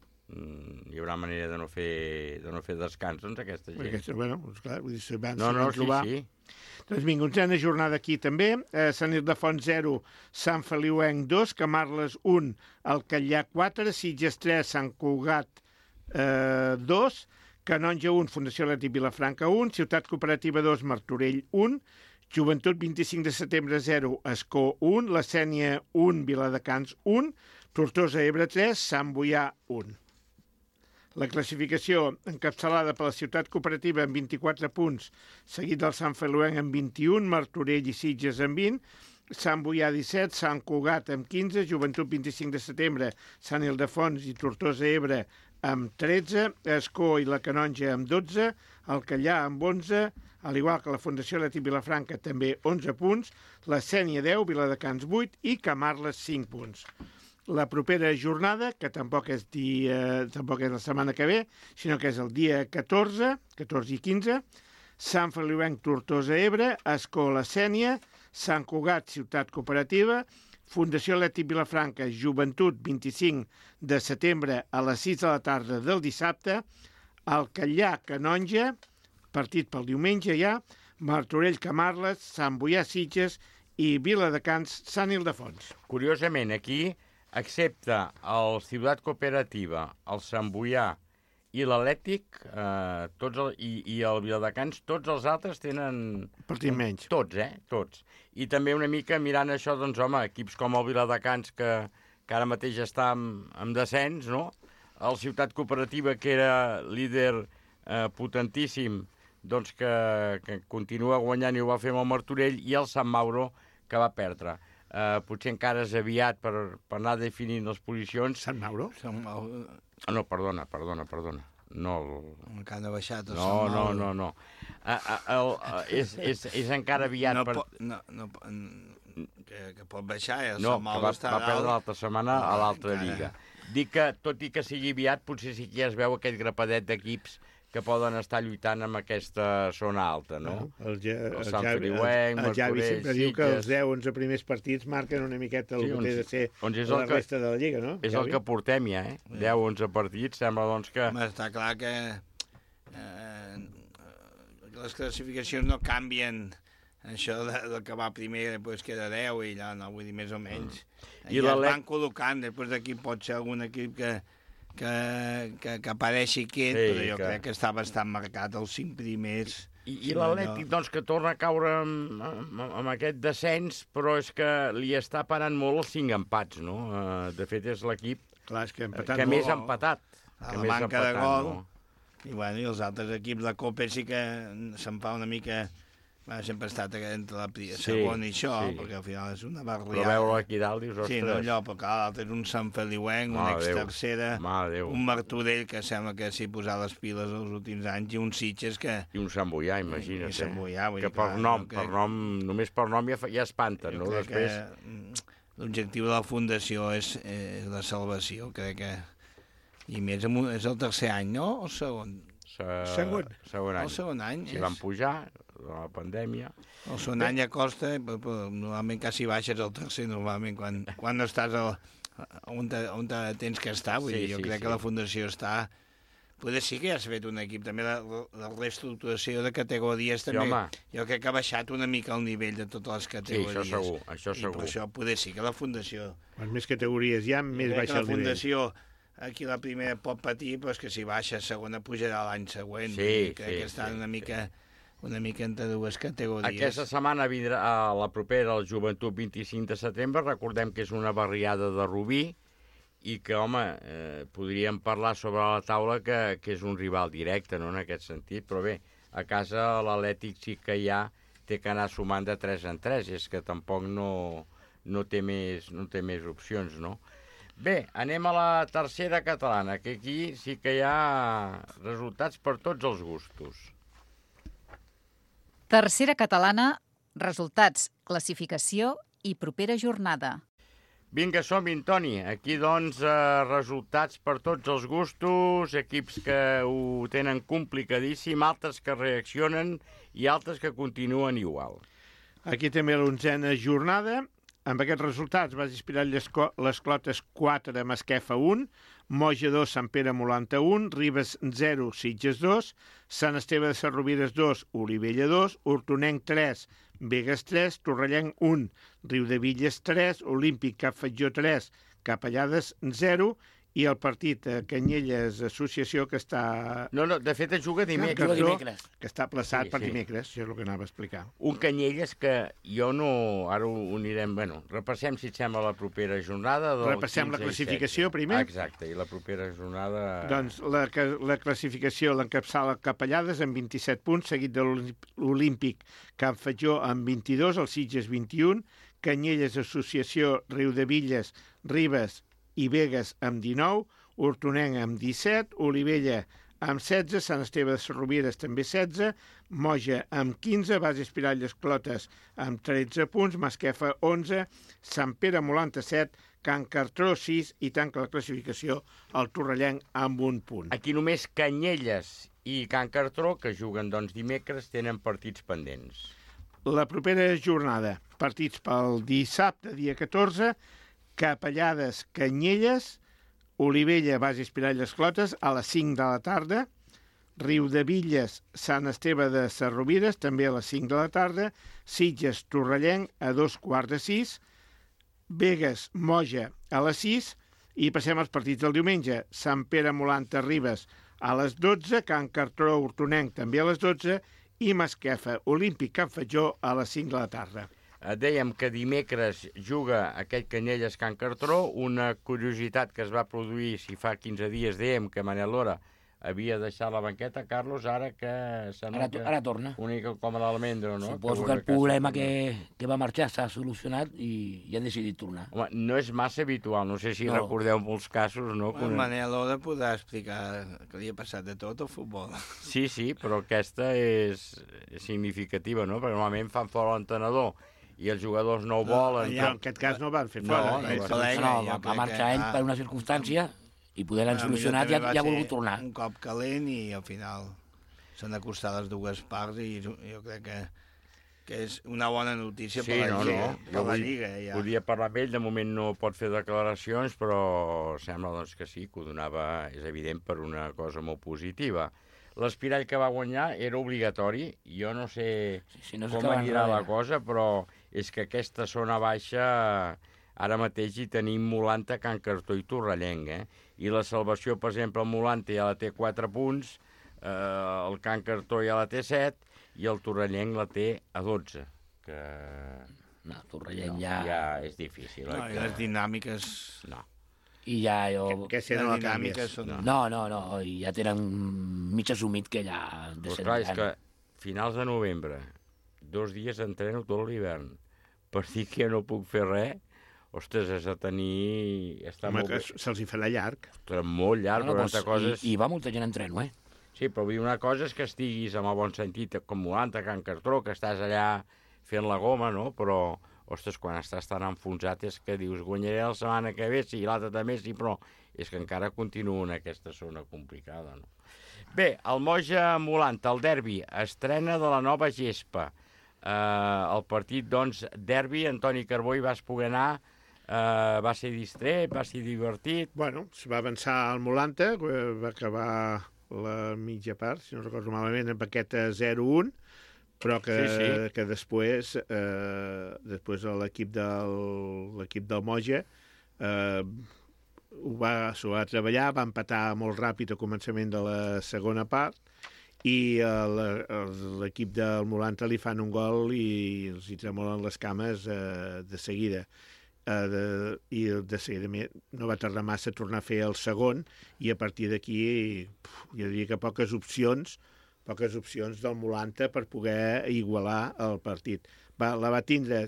S2: hi haurà manera de no fer, de no fer descans, doncs, aquesta gent.
S4: Aquesta, bueno, clar, vull dir, si van,
S2: no,
S4: si
S2: no,
S4: van trobar...
S2: sí, sí.
S4: Doncs vinga, onzena jornada aquí també. Eh, Sant Ildefons zero, Sant Feliuenc dos, Camarles un, Alcallà quatre, Sitges tres, Sant Cugat eh, dos, Canonja un, Fundació Atlètic Vilafranca un, Ciutat Cooperativa dos, Martorell un, Joventut vint-i-cinc de setembre zero, Escó un, La Sénia un, Viladecans un, Tortosa Ebre tres, Sant Boià un. La classificació encapçalada per la Ciutat Cooperativa amb vint-i-quatre punts, seguit del Sant Feliuenc amb vint-i-un, Martorell i Sitges amb vint, Sant Boià disset, Sant Cugat amb quinze, Joventut vint-i-cinc de setembre, Sant Ildefons i Tortosa Ebre amb tretze, Escó i la Canonja amb dotze, Alcallà amb onze, al igual que la Fundació Atlètic Vilafranca també onze punts, la Sénia deu, Viladecans vuit i Camarles cinc punts. La propera jornada, que tampoc és, dia, tampoc és la setmana que ve, sinó que és el dia catorze, catorze i quinze, Sant Feliuenc, Tortosa Ebre, Escó, la Sénia, Sant Cugat, Ciutat Cooperativa, Fundació Atlètic Vilafranca, Joventut, vint-i-cinc de setembre a les sis de la tarda del dissabte, Alcallà, Canonja, partit pel diumenge ja, Martorell, Camarles, Sant Boià, Sitges i Viladecans, Sant Ildefons.
S2: Curiosament, aquí, excepte el Ciutat Cooperativa, el Sant Boià i l'Atlètic eh, tots el, i, i el Viladecans, tots els altres tenen...
S4: Partit menys.
S2: Tots, eh? Tots. I també una mica mirant això, doncs, home, equips com el Viladecans, que, que ara mateix està en, en descens, no? El Ciutat Cooperativa, que era líder eh, potentíssim, doncs que, que continua guanyant i ho va fer amb el Martorell, i el Sant Mauro, que va perdre. Uh, potser encara és aviat per, per anar definint les posicions.
S4: Sant Mauro?
S5: Sant Mauro...
S2: Ah, no, perdona, perdona, perdona. No, el...
S5: Encara no ha baixat el
S2: no,
S5: Sant
S2: no,
S5: Mauro.
S2: no, no. Uh, uh, el, uh, és, és, és encara aviat
S5: no
S2: per...
S5: Po, no, no, que, que pot baixar, eh? El
S2: no,
S5: Sant Mauro
S2: va,
S5: està
S2: va perdre l'altra setmana a l'altra
S5: encara.
S2: lliga. Dic que, tot i que sigui aviat, potser sí que ja es veu aquest grapadet d'equips que poden estar lluitant amb aquesta zona alta, no?
S4: El, ja,
S2: el,
S4: el,
S2: Sant
S4: Javi,
S2: Feliuenc,
S4: el, el Javi
S2: Martorell,
S4: sempre diu que els
S2: Sitges...
S4: deu onze primers partits marquen una miqueta el
S2: Sí,
S4: que
S2: on-
S4: té de ser
S2: on és
S4: la
S2: el que-
S4: resta de la Lliga, no?
S2: És
S4: Javi?
S2: el que portem ja, eh? deu onze partits, sembla doncs que...
S5: Home, està clar que eh, les classificacions no canvien. Això de, del que va primer després queda deu i allà, no, vull dir, més o menys.
S2: Mm. I
S5: I ja es
S2: l'Atlètic-
S5: van col·locant, després d'aquí pot ser algun equip que, que, que, que apareixi aquest,
S2: Sí,
S5: però jo
S2: que-
S5: crec que està bastant marcat els cinc primers.
S2: I, i l'Atlètic, doncs, que torna a caure amb, amb, amb aquest descens, però és que li està parant molt els cinc empats, no? Uh, de fet, és l'equip
S4: Clar, és que, ha
S2: que
S4: empatat
S2: més
S4: molt.
S2: ha empatat.
S5: A
S2: que
S5: la
S2: més ha
S5: manca de
S2: empatat,
S5: gol.
S2: no?
S5: I, bueno, i els altres equips de Copa sí que se'n fa una mica... Bueno, sempre ha estat entre la pri-
S2: Sí,
S5: segon i això,
S2: sí.
S5: perquè al final és una
S2: Però
S5: barriada.
S2: veure aquí dalt, dius, ostres...
S5: Sí, no, allò, però clar, l'altre és un Sant Feliuenc, un
S2: Mare de Déu.
S5: ex-tercera,
S2: Mare de Déu.
S5: un Martorell que sembla que s'hi posat les piles els últims anys, i un Sitges que...
S2: I un Sant Boià, imagina't.
S5: I Sant Boià, vull
S2: que
S5: dir,
S2: per
S5: clar,
S2: nom,
S5: jo
S2: per
S5: crec-
S2: nom, només per nom ja, fa- ja espanten,
S5: Jo
S2: no?
S5: crec
S2: Després...
S5: que mm, l'objectiu de la Fundació és, és la salvació, crec que... I més, amb un- és el tercer any, no? O el segon?
S2: Se...
S4: Segon.
S2: Segon any.
S5: El segon any.
S2: Si
S5: és...
S2: van pujar, la pandèmia...
S5: El segon any ja costa, però, però normalment quasi baixes el tercer, normalment, quan, quan no estàs al, on, te, on te tens que estar. Vull
S2: Sí,
S5: dir, jo
S2: sí,
S5: crec
S2: sí.
S5: que la Fundació està... Poder sí que ja s'ha fet un equip, també la, la reestructuració de categories
S2: Sí,
S5: també.
S2: home.
S5: Jo crec que ha baixat una mica el nivell de totes les
S2: Sí,
S5: categories.
S2: això segur, això
S5: I
S2: segur.
S5: per això poder sí que la Fundació...
S4: Quan més categories hi ha, més
S5: Jo crec
S4: baixa
S5: que
S4: el
S5: la
S4: nivell.
S5: Fundació, aquí la primera pot patir, però és que si baixa segona pujarà l'any següent.
S2: Sí,
S5: Vull dir, crec
S2: sí,
S5: que estan
S2: sí,
S5: una mica... una mica entre dues categories.
S2: Aquesta setmana vindrà a la propera, el Joventut vint-i-cinc de setembre. Recordem que és una barriada de Rubí i que, home, eh, podríem parlar sobre la taula que, que és un rival directe, no?, en aquest sentit. Però bé, a casa l'Atlètic sí que ja té que anar sumant de tres en tres. És que tampoc no, no, té, més, no té més opcions, no? Bé, anem a la tercera catalana, que aquí sí que hi ha resultats per tots els gustos.
S3: Tercera catalana, resultats, classificació i propera jornada.
S2: Vinga, som-hi, Toni. Aquí, doncs, eh, resultats per tots els gustos, equips que ho tenen complicadíssim, altres que reaccionen i altres que continuen igual.
S4: Aquí també l'onzena jornada. Amb aquests resultats va inspirar les, les Clotes quatre, Masquefa un, Moja dos, Sant Pere Molanta un, Ribes zero, Sitges dos, Sant Esteve de Sarrovires dos, Olivella dos, Hortonenc tres, Begues tres, Torrellenc un, Riudevilles tres, Olímpic Cap Fatjó tres, Capellades zero, i el partit eh, Canyelles Associació, que està...
S2: No, no, de fet es juga dimecres.
S8: Juga dimecres.
S4: Que està plaçat
S2: Sí,
S4: sí, per
S2: sí.
S4: dimecres, això és el que anava a explicar.
S2: Un Canyelles que jo no... Ara ho anirem... Bueno, repassem, si et sembla, la propera jornada. Del
S4: Repassem la
S2: quinze i
S4: classificació
S2: setze.
S4: primer?
S2: Exacte, i la propera jornada...
S4: Doncs la, que- la classificació l'encapçala Capellades amb vint-i-set punts, seguit de l'Olímpic Can Fatjó amb vint-i-dos, el Sitges vint-i-un, Canyelles Associació, Riudevilles, Ribes i Begues amb dinou, Hortonenc amb disset, Olivella amb setze, Sant Esteve de Sarrovires també setze, Moja amb quinze, Base Espiralles Clotes amb tretze punts, Masquefa onze, Sant Pere Molanta set, Can Cartró sis i tanca la classificació el Torrellenc amb un punt.
S2: Aquí només Canyelles i Can Cartró, que juguen doncs dimecres, tenen partits pendents.
S4: La propera jornada, partits pel dissabte, dia catorze, Capellades, Canyelles, Olivella, Base Espiralles Clotes, a les cinc de la tarda, Riudevilles, Sant Esteve de Sarrovires, també a les cinc de la tarda, Sitges, Torrellenc, a dos quarts de sis, Begues, Moja, a les sis, i passem als partits del diumenge. Sant Pere Molanta, Ribes, A les dotze, Can Cartró, Hortonenc, també a les dotze, i Masquefa, Olímpic Can Fatjó, a les cinc de la tarda.
S2: Dèiem que dimecres juga aquest Canyelles Can Cartró, una curiositat que es va produir, si fa quinze dies dèiem que Manel Lora havia deixat la banqueta, Carlos, ara que...
S8: Ara, ara torna.
S2: Una mica com a l'Almendro, no?
S8: Suposo que, que el problema que, que va marxar s'ha solucionat i, i ha decidit tornar.
S2: Home, no és massa habitual, no sé si no. recordeu molts casos, no?
S5: Bueno, Manel Lora podrà explicar que li ha passat de tot al futbol.
S2: Sí, sí, però aquesta és significativa, no? Perquè normalment fan fora l'entenedor i els jugadors no ho volen.
S4: No, en aquest cas no van fer fora.
S8: No, no, no, no, va, va marxar ell per una circumstància i poder l'han solucionat i ja, ja ha volgut tornar.
S5: Un cop calent i al final s'han d'acostar les dues parts i jo crec que, que és una bona notícia sí, per la, no, Lliga, no. per la vull, Lliga. Ja.
S2: Podia parlar amb ell, de moment no pot fer declaracions, però sembla doncs, que sí, que ho donava, és evident, per una cosa molt positiva. L'Espirall que va guanyar era obligatori, jo no sé sí, sí, no com anirà la cosa, però és que aquesta zona baixa ara mateix hi tenim Molanta, Can Cartró i Torrellenc, eh? I la salvació, per exemple, el Molanta ja la té quatre punts, eh, el Can Cartró ja la té set i el Torrellenc la té a dotze, que...
S8: No, Torrellenc no, ja...
S2: Ja és difícil.
S5: No,
S2: eh,
S5: i les dinàmiques...
S2: No.
S8: I ja jo...
S4: Que, que si no la canvies.
S8: Són... No, no, no, i ja tenen mig assumit que ja...
S2: Però clar, és que finals de novembre, dos dies entreno tot l'hivern, per dir que no puc fer res, ostres, has de tenir... Està
S4: Home,
S2: molt
S4: que se'ls hi farà llarg.
S2: Ostres, molt llarg, no, no, però coses...
S8: I, I va molta gent en treno, eh?
S2: Sí, però vull dir, una cosa és que estiguis amb el bon sentit, com Molanta, Can Cartró, que estàs allà fent la goma, no? Però, ostres, quan estàs tan enfonsat és que dius, guanyaré la setmana que ve, sí, l'altra també sí, però és que encara continua en aquesta zona complicada, no? Bé, el Moja Molanta, el derbi, estrena de la nova gespa. Eh, el partit, doncs, derbi, Antoni Carbó hi vas poder anar. Uh, va ser distret, va ser divertit.
S4: Bueno, es va avançar al Molanta, va acabar la mitja part, si no recordo malament, amb aquest zero un, però que, sí, sí. que després, eh, després l'equip del, l'equip del Moja eh, ho va, s'ho va treballar, va empatar molt ràpid al començament de la segona part i l'equip del Molanta li fan un gol i els hi tremolen les cames eh, de seguida. Uh, de, i de seguida no va tardar massa a tornar a fer el segon i a partir d'aquí jo diria que poques opcions poques opcions del Molanta per poder igualar el partit. Va, la va tindre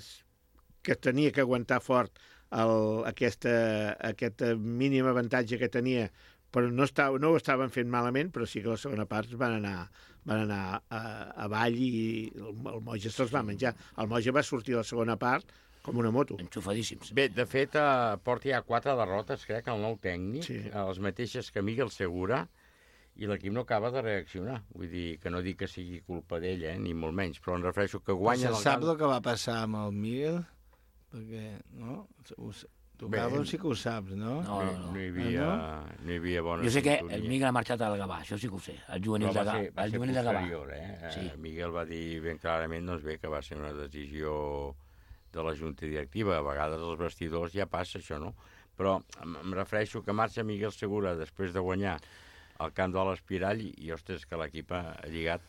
S4: que tenia que aguantar fort el, aquesta, aquest mínim avantatge que tenia, però no, estava, no ho estaven fent malament, però sí que la segona part van anar, van anar a, avall i el, el Moja se'ls va menjar. El Moja va sortir a la segona part com una moto.
S8: Enxufadíssims.
S2: Bé, de fet, eh, porta ja quatre derrotes, crec, el nou tècnic, sí. les mateixes que Miguel Segura, i l'equip no acaba de reaccionar. Vull dir, que no dic que sigui culpa d'ell, eh, ni molt menys, però em refereixo que guanya...
S5: Se sap el que va passar amb el Miguel? Perquè, no? Tu, Carlos, sí que ho saps, no?
S8: No, no, no.
S2: No hi havia, ah, no? No hi havia bona
S8: jo sé que
S2: sintonia.
S8: El Miguel ha marxat al Gavà, això sí que ho sé, el juvenil de Gavà.
S2: Va ser, va ser posterior, eh?
S8: Sí.
S2: Miguel va dir ben clarament, doncs bé, que va ser una decisió de la junta directiva. A vegades als vestidors ja passa això, no? Però em refereixo que marxa Miguel Segura després de guanyar el camp de l'Espirall i, i ostres, que l'equip ha lligat.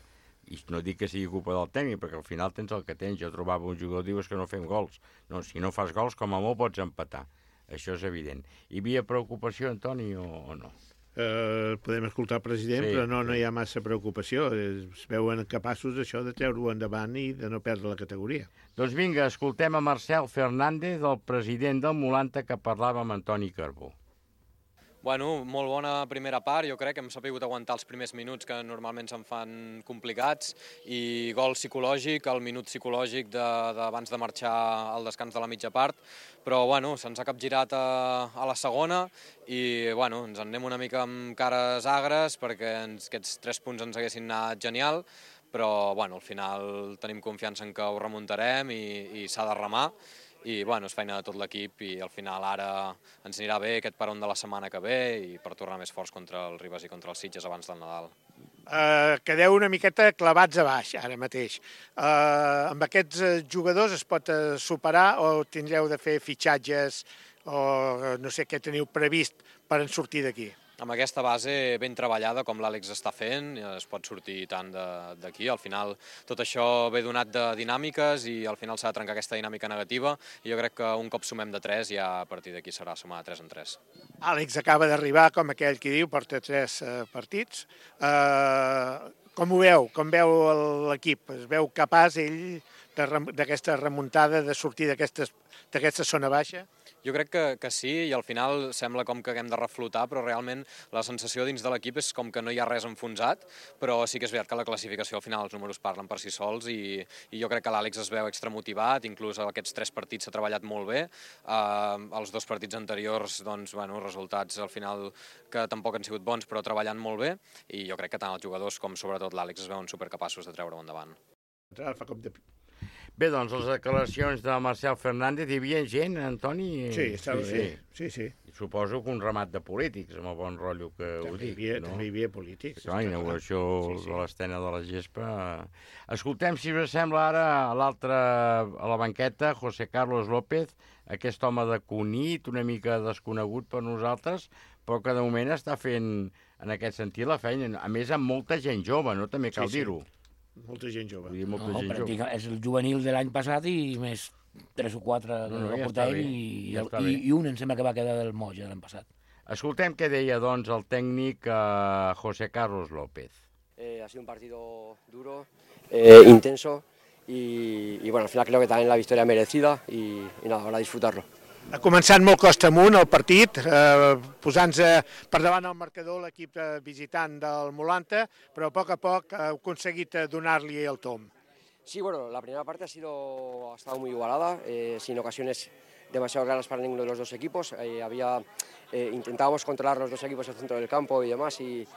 S2: I no dic que sigui culpa del tècnic, perquè al final tens el que tens. Jo trobava un jugador, dius que no fem gols. No, si no fas gols, com a molt pots empatar. Això és evident. Hi havia preocupació, Antoni, o, o no?
S4: Eh, podem escoltar el president, sí, però no, no hi ha massa preocupació. Es veuen capaços això de treure-ho endavant i de no perdre la categoria.
S2: Doncs vinga, escoltem a Marcel Fernández, el president del Molanta, que parlava amb Antoni Carbó.
S10: Bueno, molt bona primera part, jo crec que hem sabut aguantar els primers minuts que normalment se'n fan complicats i gol psicològic, el minut psicològic d'abans de, de marxar al descans de la mitja part, però bueno, se'ns ha capgirat a, a la segona i bueno, ens en anem una mica amb cares agres perquè ens, aquests tres punts ens haguessin anat genial, però bueno, al final tenim confiança en que ho remuntarem i, i s'ha de remar. I bueno, és feina de tot l'equip i al final ara ens anirà bé aquest peron de la setmana que ve i per tornar més forts contra el Ribes i contra els Sitges abans del Nadal.
S4: Uh, quedeu una miqueta clavats a baix ara mateix. Uh, amb aquests jugadors es pot uh, superar o tindreu de fer fitxatges o uh, no sé què teniu previst per en sortir d'aquí?
S10: amb aquesta base ben treballada com l'Àlex està fent, es pot sortir tant d'aquí. Al final tot això ve donat de dinàmiques i al final s'ha de trencar aquesta dinàmica negativa i jo crec que un cop sumem de tres ja a partir d'aquí serà sumar de tres en tres.
S4: Àlex acaba d'arribar, com aquell qui diu, porta tres eh, partits. Eh, com ho veu? Com veu l'equip? Es veu capaç ell d'aquesta remuntada, de sortir d'aquesta zona baixa?
S10: Jo crec que, que sí, i al final sembla com que haguem de reflotar, però realment la sensació dins de l'equip és com que no hi ha res enfonsat, però sí que és veritat que la classificació al final els números parlen per si sols i, i jo crec que l'Àlex es veu extramotivat, inclús aquests tres partits s'ha treballat molt bé, uh, els dos partits anteriors, doncs, bueno, resultats al final que tampoc han sigut bons, però treballant molt bé, i jo crec que tant els jugadors com sobretot l'Àlex es veuen supercapaços de treure-ho endavant.
S4: Fa com de...
S2: Bé, doncs, les declaracions de Marcel Fernández, hi havia gent, Antoni?
S4: Sí, estava bé. Sí, sí.
S2: Suposo que un ramat de polítics, amb el bon rotllo que ho dic, no?
S4: També hi havia polítics.
S2: La inauguració de l'Estena de la Gespa. Escoltem, si us sembla, ara a l'altra, a la banqueta, José Carlos López, aquest home de Cunit, una mica desconegut per nosaltres, però que de moment està fent, en aquest sentit, la feina. A més, amb molta gent jove, no? També cal dir-ho.
S4: Molta gent jove.
S8: Molta no, gent jove. És el juvenil de l'any passat i més tres o quatre que no, no, va portar ell i, ja i, i un em sembla que va quedar del Moja l'any passat.
S2: Escoltem què deia, doncs, el tècnic eh, José Carlos López.
S11: Eh, ha sido un partido duro, eh, intenso y, y bueno, al final creo que también la victoria merecida y, y nada, ahora disfrutarlo.
S4: Ha començat molt costa amunt el partit, eh, posant-se per davant el marcador l'equip visitant del Molanta, però a poc a poc ha aconseguit donar-li el tom.
S11: Sí, bueno, la primera parte ha, sido, ha estado muy igualada, eh, sin ocasiones demasiado claras para ninguno de los dos equipos. Eh, había, eh, intentábamos controlar los dos equipos el centro del campo y demás, y,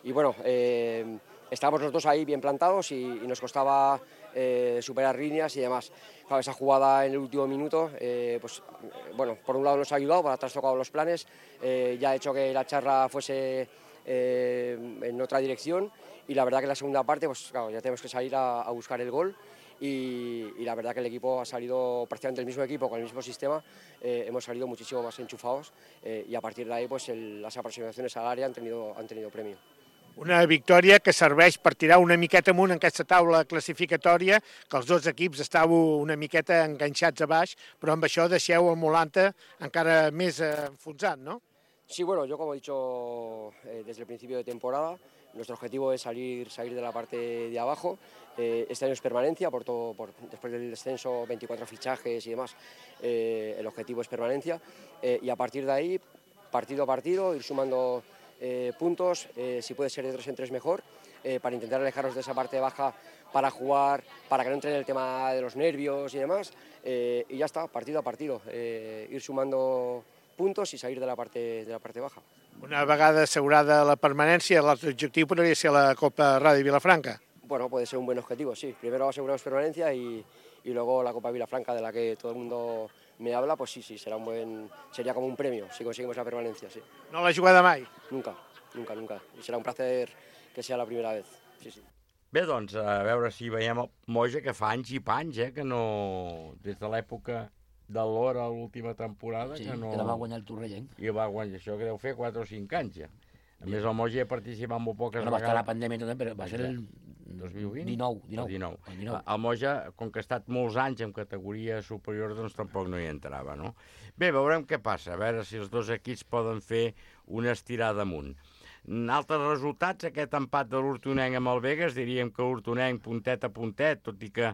S11: y bueno, eh, estábamos los dos ahí bien plantados y, y nos costaba eh, superar líneas y demás. Claro, esa jugada en el último minuto, eh, pues bueno, por un lado nos ha ayudado, para trastocado los planes, eh, ya ha hecho que la charla fuese eh, en otra dirección y la verdad que en la segunda parte, pues claro, ya tenemos que salir a, a buscar el gol y, y la verdad que el equipo ha salido prácticamente el mismo equipo, con el mismo sistema, eh, hemos salido muchísimo más enchufados eh, y a partir de ahí pues el, las aproximaciones al área han tenido, han tenido premio.
S4: Una victòria que serveix per tirar una miqueta amunt en aquesta taula classificatòria, que els dos equips estàveu una miqueta enganxats a baix, però amb això deixeu el Molanta encara més enfonsat, ¿no?
S11: Sí, bueno, yo como he dicho eh, desde el principio de temporada, nuestro objetivo es salir, salir de la parte de abajo. Eh, este año es permanencia, por todo, por, después del descenso, veinticuatro fichajes y demás, eh, el objetivo es permanencia. Eh, y a partir de ahí, partido a partido, ir sumando Eh, puntos, eh, si puede ser de tres en tres mejor, eh, para intentar alejarnos de esa parte baja para jugar, para que no entre en el tema de los nervios y demás, eh, y ya está, partido a partido, eh, ir sumando puntos y salir de la parte, de la parte baja.
S4: Una vegada assegurada la permanència, l'altre objectiu podria ser la Copa Ràdio Vilafranca.
S11: Bueno, puede ser un buen objetivo, sí. Primero aseguramos permanencia y, y luego la Copa Vilafranca, de la que todo el mundo me habla, pues sí, sí, será un buen, sería como un premio si conseguimos la permanencia, sí.
S4: No l'ha jugada mai?
S11: Nunca, nunca, nunca. Y será un placer que sea la primera vez, sí, sí.
S2: Bé, doncs, a veure si veiem el Moja, que fa anys i panys, eh, que no... Des de l'època de l'Hora, l'última temporada,
S8: sí,
S2: que no...
S8: Sí, que la va guanyar el Torrellenc.
S2: I va guanyar, això que deu fer quatre o cinc anys, ja. A més, el Moja ha participat molt poques
S8: bueno,
S2: vegades.
S8: Va estar la pandèmia també, però va ser el
S2: dos mil vint?
S8: dinou. dinou.
S2: El dinou. El dinou. El Moja, com que ha estat molts anys en categoria superior, doncs tampoc no hi entrava, no? Bé, veurem què passa, a veure si els dos equips poden fer una estirada amunt. Altres resultats, aquest empat de l'Hortonenc amb el Begues, diríem que l'Hortonenc puntet a puntet, tot i que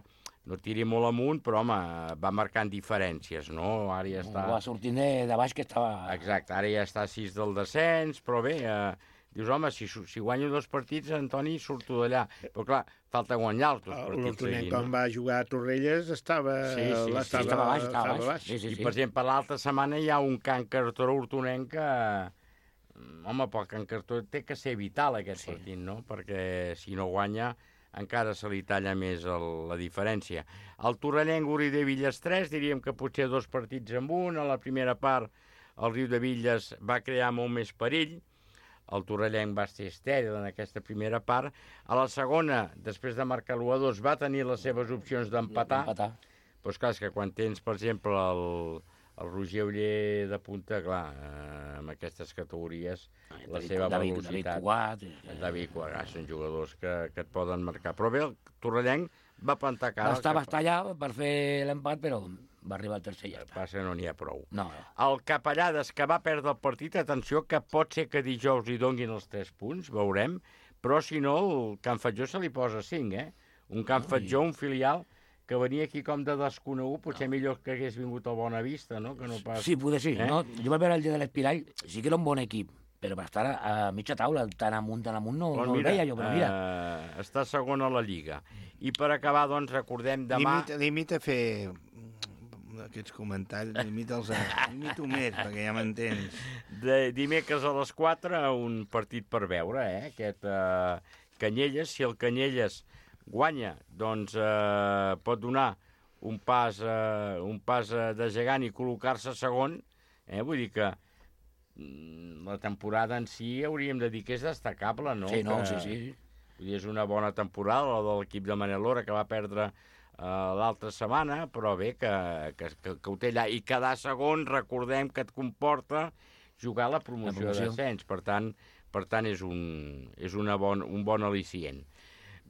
S2: no tiri molt amunt, però home, va marcant diferències, no? Ara ja està...
S8: Va sortint de baix que estava...
S2: Exacte, ara ja està a sis del descens, però bé, eh, dius, home, si, si guanyo dos partits, Antoni, surto d'allà. Però clar, falta guanyar els dos partits.
S4: L'Hortonenc, quan va jugar a Torrelles, estava...
S2: Sí, sí, sí,
S4: estava,
S2: estava
S8: baix, estava baix. Sí, sí,
S2: I,
S8: sí.
S2: per exemple, l'altra setmana hi ha un Can Cartó Hortonenc que... Home, pel Can Cartó té que ser vital aquest sí. partit, no? Perquè si no guanya encara se li talla més el, la diferència. El Torrellenc, Uri de Villes tres, diríem que potser dos partits amb un. A la primera part el Riu de Villes va crear molt més perill. El Torrellenc va ser estèril en aquesta primera part. A la segona, després de marcar l'u a dos, va tenir les seves opcions d'empatar.
S8: Empatar.
S2: Doncs clar, és que quan tens, per exemple, el, el Roger Oller de punta, clar, eh, amb aquestes categories, la seva
S8: David,
S2: velocitat...
S8: David Cugat...
S2: David Cugat, són jugadors que, que et poden marcar. Però bé, el Torrellenc va plantar cara...
S8: Va estar, va estar allà per fer l'empat, però va arribar al tercer i ja està.
S2: Passa, no n'hi ha prou.
S8: No.
S2: El Capellades, que va perdre el partit, atenció, que pot ser que dijous li donguin els tres punts, veurem, però si no, el Can Fatjó se li posa cinc, eh? Un Can Fatjó, un filial, que venia aquí com de desconegut, potser no. millor que hagués vingut al Bonavista, no? Que no pas...
S8: Sí, poder sí.
S2: Eh?
S8: No? Jo vaig veure el dia de l'Espirall, sí que era un bon equip, però per estar a mitja taula, tan amunt, tan amunt, no,
S2: Pues
S8: no
S2: mira,
S8: el veia jo, però mira.
S2: Uh, està segon a la Lliga. I per acabar, doncs, recordem demà...
S5: Limita, limita a fer aquests comentaris, limita'ls a... Limito més, perquè ja m'entens.
S2: De dimecres a les quatre, un partit per veure, eh? Aquest uh, Canyelles, si el Canyelles guanya, doncs eh, pot donar un pas, eh, un pas eh, de gegant i col·locar-se segon, eh? Vull dir que mm, la temporada en si hauríem de dir que és destacable, no?
S8: Sí, no,
S2: que,
S8: sí, sí.
S2: Vull dir, és una bona temporada, la de l'equip de Manel Lora, que va perdre eh, l'altra setmana, però bé, que, que, que, que ho té allà. I quedar segon, recordem que et comporta jugar la promoció, la promoció. d'ascens, per tant, per tant és, un, és una bon, un bon al·licient.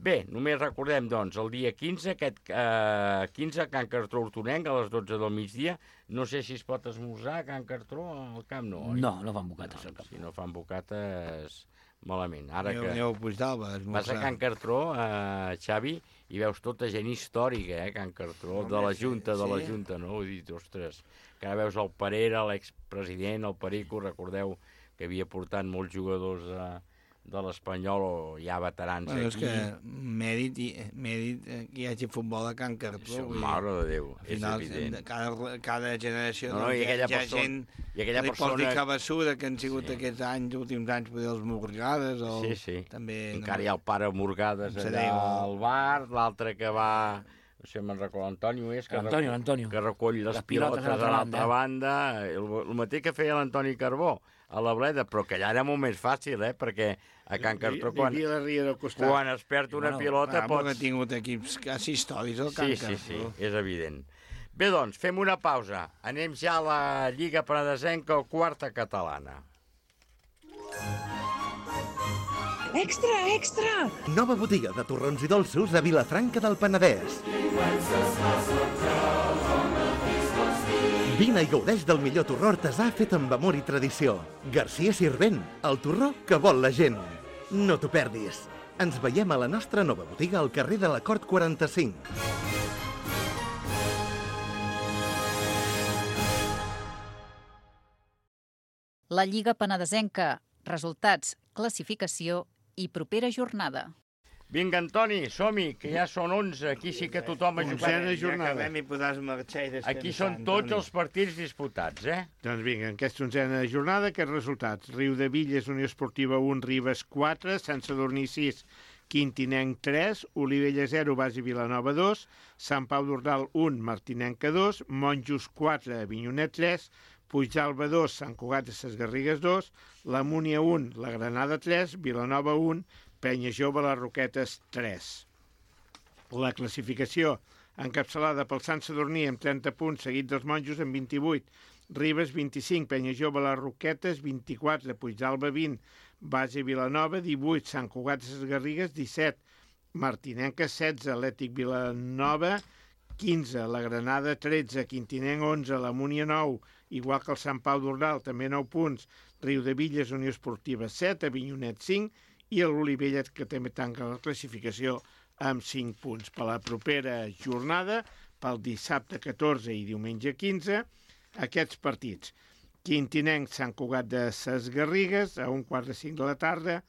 S2: Bé, només recordem, doncs, el dia quinze, aquest eh, quinze, Can Cartró Hortonenc, a les dotze del migdia. No sé si es pot esmorzar a Can Cartró al camp, no, oi?
S8: No, no fan bocates al camp.
S2: Si no fan bocates, malament. Ara
S5: aneu,
S2: que
S5: aneu a Puigdalba a esmorzar.
S2: Vas a Can Cartró, eh, Xavi, i veus tota gent històrica, eh, Can Cartró, de la Junta, de la Junta, no? Vull dir, ostres, que ara veus el Parera, l'expresident, el Perico, recordeu que havia portat molts jugadors a... Eh, de l'Espanyol, o hi ha veterans
S5: bueno,
S2: aquí.
S5: És que mèrit, mèrit que hi hagi futbol a Can Cartró.
S2: Mare de Déu,
S5: al final,
S2: és evident.
S5: Cada, cada generació
S2: no, no,
S5: doncs,
S2: i aquella
S5: hi ha
S2: persona,
S5: gent
S2: i aquella
S5: que li
S2: persona...
S5: pot dir cabeçuda, que han sigut
S2: sí.
S5: aquests anys, últims anys, per dir, els Morgades. El...
S2: Sí, sí.
S5: També,
S2: encara no... hi ha el pare Morgades allà al bar, l'altre que va... No sé, me'n recordo, l'Antonio és, que,
S8: Antonio,
S2: recull,
S8: Antonio.
S2: que recull les, les pilotes, pilotes a l'altra banda. banda. El, el mateix que feia l'Antoni Carbó a la Bleda, però que allà era molt més fàcil, eh? Perquè a Can Cartró, quan, quan es perd una bueno, pilota,
S5: ah,
S2: pots...
S5: Ha tingut equips quasi històrics al Can
S2: sí,
S5: Cartró.
S2: Sí, sí, és evident. Bé, doncs, fem una pausa. Anem ja a la Lliga Penedesenca, o quarta catalana.
S12: Extra, extra!
S13: Nova botiga de torrons i dolços a Vilafranca del Penedès. Vine i gaudeix del millor torró artesà fet amb amor i tradició. Garcia Sirvent, el torró que vol la gent. No t'ho perdis. Ens veiem a la nostra nova botiga al carrer de la Cort quaranta-cinc.
S3: La Lliga Penedesenca. Resultats, classificació i propera jornada.
S2: Vinga, Antoni, som-hi, que ja són onze. Aquí sí que tothom ha jugat.
S5: Onzena jornada. Ja i podràs marxar i descansar.
S2: Aquí són tots Antoni. Els partits disputats, eh?
S4: Doncs vinga, en aquesta onzena jornada, aquests resultats. Riudevilles, Unió Esportiva un, Ribes quatre, Sant Sadurní sis, Quintinenc tres, Olivella zero, Basi Vilanova dos, Sant Pau d'Ordal un, Martinenca dos, Monjos quatre, Avinyonet tres, Puigdalba dos, Sant Cugat de ses Garrigues dos, la Múnia un, la Granada tres, Vilanova un, Penya Jove, les Roquetes tres. La classificació encapçalada pel Sant Sadurní amb trenta punts, seguit dels Monjos amb vint-i-vuit, Ribes vint-i-cinc, Penya Jove, les Roquetes vint-i-quatre, Puigdalba vint, Base Vilanova divuit, Sant Cugat de ses Garrigues disset, Martinenca setze, Atlètic Vilanova quinze, la Granada tretze, Quintinenc onze, la Múnia nou, igual que el Sant Pau d'Ordal, també nou punts, Riudevilles, Unió Esportiva set, Avinyonet cinc, i l'Olivella, que també tanca la classificació amb cinc punts. Per la propera jornada, pel dissabte catorze i diumenge quinze, aquests partits. Quintinenc, Sant Cugat de ses Garrigues, a un quart de cinc de la tarda,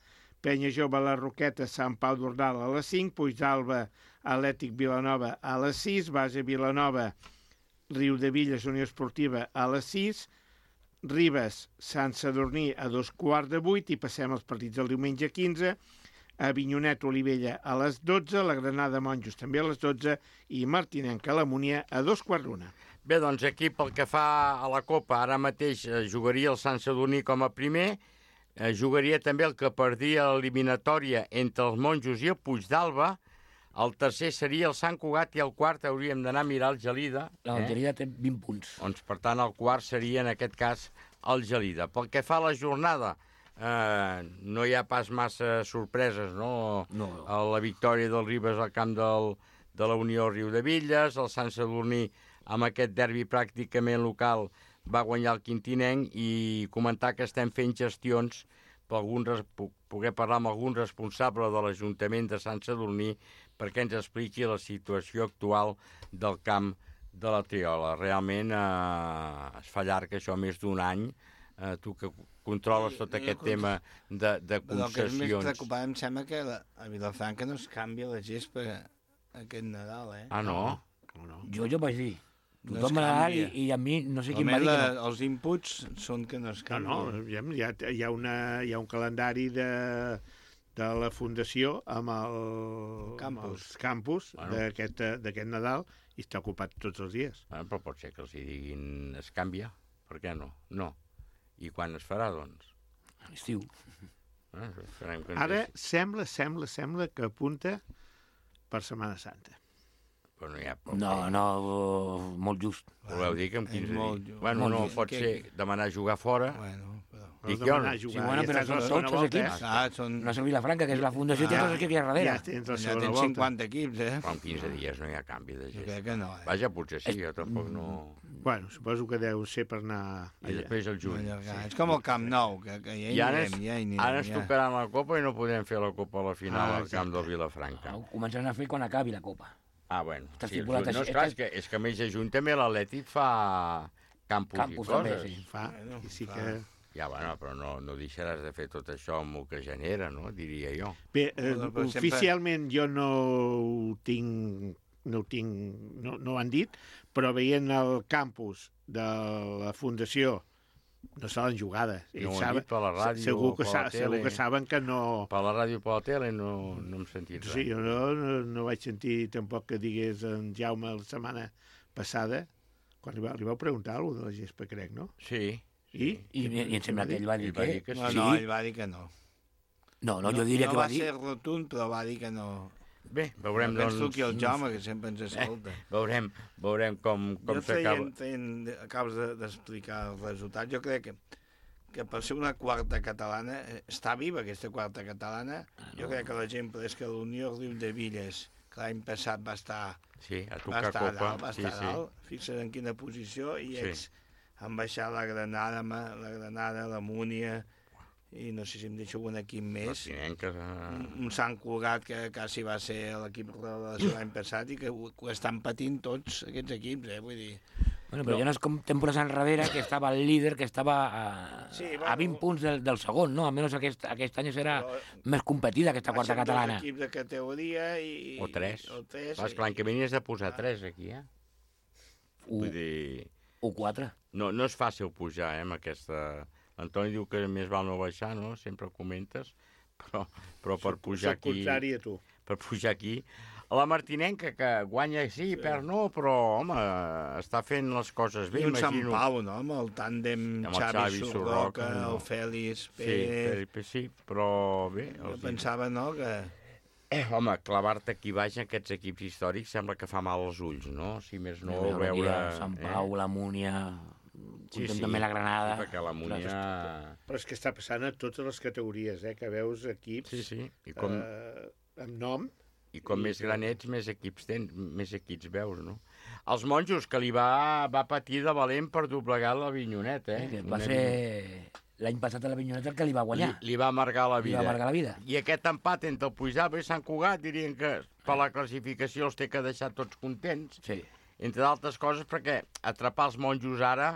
S4: Penya Jove, la Roqueta, Sant Pau d'Ordal a les cinc, Puigdalba, Atlètic Vilanova a les sis, Base Vilanova, Riudevilles, Unió Esportiva a les sis, Ribes, Sant Sadurní a dos quarts de vuit, i passem als partits del diumenge quinze, Avinyonet, Olivella a les dotze, la Granada, Monjos també a les dotze, i Martinenc, a la Múnia a dos quarts d'una.
S2: Bé, doncs aquí pel que fa a la Copa, ara mateix eh, jugaria el Sant Sadurní com a primer, eh, jugaria també el que perdia l'eliminatòria entre els Monjos i el Puigdalba, El tercer seria el Sant Cugat i el quart hauríem d'anar a mirar el Gelida.
S8: La Gelida eh? té vint punts.
S2: Doncs, per tant, el quart seria, en aquest cas, el Gelida. Pel que fa a la jornada, eh, no hi ha pas massa sorpreses, no?
S8: No.
S2: La victòria del Ribes al camp del, de la Unió Riudevilles, el Sant Sadurní amb aquest derbi pràcticament local va guanyar el Quintinenc, i comentar que estem fent gestions per algun, poder parlar amb algun responsable de l'Ajuntament de Sant Sadurní perquè ens expliqui la situació actual del camp de la Triola. Realment eh, es fa llarg això, més d'un any. Eh, tu que controles tot aquest
S5: no,
S2: tema de, de concessions...
S5: Però el que és més preocupant, em sembla que la, a Vilafranca no es canvia la gespa aquest Nadal, eh?
S2: Ah, no?
S5: no, no.
S8: Jo, jo vaig dir.
S5: No
S8: Tothom
S5: es
S8: va anar i,
S5: canvia.
S8: i a mi no sé quin va dir
S5: la,
S8: que no.
S5: Els inputs són que no es canvia.
S4: No, no, hi ha, hi ha, una, hi ha un calendari de, de la Fundació amb, el,
S5: campus.
S4: amb els campus
S2: Bueno.
S4: d'aquest d'aquest Nadal, i està ocupat tots els dies.
S2: Bueno, però pot ser que els hi diguin es canvia. Per què no? No. I quan es farà, doncs?
S8: A l'estiu.
S2: Eh, esperem que ens
S4: Ara
S2: deixi.
S4: sembla, sembla, sembla que apunta per Setmana Santa.
S2: Però no hi ha poc.
S8: No, no, uh, molt just.
S2: Voleu dir que en quinze
S5: molt
S2: dies...
S5: just.
S2: Bueno,
S8: Molt
S2: no,
S8: just.
S2: pot
S5: Que-
S2: ser demanar a jugar fora.
S5: Bueno, però...
S2: Dic
S4: Vols
S2: jo,
S4: demanar
S2: no?
S4: a jugar,
S8: Sí, bueno,
S4: ja
S8: però
S4: estàs a la
S8: són
S4: segona
S8: tots els
S4: volta,
S8: equips.
S4: eh?
S5: Ah, són...
S8: No és el Vilafranca, que és la fundació, té
S4: Ja,
S8: tots els equips a darrere.
S4: Ja tens la
S5: Ja
S4: segona
S5: tens
S4: volta.
S5: cinquanta equips, eh?
S2: Però en quinze dies no hi ha canvi de
S5: Jo
S2: gest.
S5: crec que no, eh?
S2: Vaja, potser sí, jo tampoc no...
S4: Bueno, suposo que deu ser per anar
S2: I
S4: allà.
S2: després el juny.
S5: Allargar. És com el Camp Nou, que, que ja hi
S2: I ara,
S5: anirem,
S2: ens,
S5: ja hi anirem.
S2: ara ens
S5: ja.
S2: tocaran la Copa i no podem fer la Copa a la final
S4: Ah,
S2: al camp
S4: exacte.
S2: del Vilafranca.
S8: Ho començaran a fer quan acabi la Copa.
S2: Ah, bueno.
S8: Està
S2: Sí, el
S8: estipulat
S2: juny. No,
S8: així.
S2: esclar, és que, és que a més de juny també l'Atlètic fa campus,
S8: Campus
S2: i
S8: també,
S2: coses.
S8: sí.
S4: Fa,
S5: Bueno,
S4: i sí
S5: fa.
S4: que...
S2: Ja, bueno, però no, no deixaràs de fer tot això amb el que genera, no? Diria jo.
S4: Bé, eh,
S5: Bueno, però sempre-
S4: oficialment jo no ho tinc, no ho tinc, no, no ho han dit, però veient el campus de la Fundació no saben jugades.
S2: No ho
S4: Ells
S2: han
S4: saben-
S2: dit per la ràdio
S4: segur
S2: o
S4: que,
S2: per
S4: sa,
S2: la
S4: segur
S2: tele.
S4: que saben que no...
S2: Per la ràdio i per la tele no, no hem sentit res.
S4: Sí, jo no, no, no vaig sentir tampoc que digués en Jaume la setmana passada, quan li, va, li vau preguntar alguna cosa de la gespa, crec, no?
S2: Sí.
S4: I?
S8: I, i, i em sembla que ell va dir
S2: Ell va
S8: que...
S2: dir que
S5: No,
S8: sí.
S5: no, ell va dir que no.
S8: No, no, jo diria
S5: no
S8: que va
S5: va
S8: dir...
S5: ser rotund, però va dir que no.
S2: Bé, veurem,
S5: no penso
S2: doncs...
S5: que el Jaume, que sempre ens escolta.
S2: Veurem, veurem com, com
S5: jo
S2: s'acaba.
S5: traient, traient, acabes de- d'explicar els resultats, jo crec que, que per ser una quarta catalana, eh, està viva aquesta quarta catalana, jo crec que l'exemple és que l'Unió Riudevilles, que l'any passat va estar,
S2: Sí, a
S5: va
S2: tocar
S5: estar a
S2: copa.
S5: dalt, va
S2: Sí,
S5: estar a
S2: sí.
S5: dalt, fixa't en quina posició, i
S2: Sí.
S5: ells han baixat la Granada, ma- la Granada, la Múnia, i no sé si em deixo un equip més.
S2: Martinenca...
S5: Un, un Sant Cugat que quasi va ser l'equip de l'any passat i que ho, ho estan patint tots aquests equips, eh? Vull dir...
S8: Bueno, però ja no és com temporades enrere, que estava el líder, que estava a,
S5: Sí,
S8: a
S5: bueno.
S8: vint punts del, del segon, no? Almenys aquest, aquest any serà
S5: Però-
S8: més competida, aquesta quarta
S5: baixen
S8: catalana.
S5: dos equips de categoria i...
S2: O tres.
S5: O tres.
S2: Clar, és que l'any que ve n'hi has de posar tres, aquí, eh?
S8: U,
S2: Vull dir...
S8: u quatre.
S2: No, no és fàcil pujar, eh, amb aquesta... L'Antoni diu que més val no baixar, no? Sempre ho comentes. Però, però per pujar
S4: Soc
S2: aquí...
S4: contrari a tu.
S2: Per pujar aquí... La Martinenca, que guanya sí, sí. perd no, però, home, està fent les coses bé,
S5: I un Sant
S2: imagino.
S5: Pau, no? Amb el tàndem
S2: Amb el
S5: Xavi,
S2: Xavi
S5: Surroca,
S2: Surroca, no.
S5: el Fèlix,
S2: Sí,
S5: Pérez...
S2: per, sí, però bé...
S5: Jo
S2: Els...
S5: pensava, no?, que...
S2: Eh, home, clavar-te aquí baix en aquests equips històrics sembla que fa mal als ulls, no? Si més no,
S8: Veure aquí
S2: veure...
S8: el Sant Pau, la Múnia,
S2: Sí,
S8: sí,
S2: sí,
S8: també la Granada.
S2: Sí, perquè la Múnia...
S4: Però és que està passant a totes les categories, eh? Que veus equips
S2: Sí, sí. I com,
S4: eh, amb nom.
S2: i com més gran ets, més equips tens, més equips veus, no? Els monjos, que li va, va patir de valent per doblegar l'Avinyonet, eh?
S8: Que va
S2: Una
S8: ser l'any passat a l'Avinyonet el que li va guanyar.
S2: Li, li va amargar la
S8: Li
S2: vida.
S8: va amargar la vida.
S2: I aquest empat entre el Puigdàlber i Sant Cugat dirien que per la classificació els té que deixar tots contents.
S8: Sí.
S2: Entre d'altres coses perquè atrapar els monjos ara,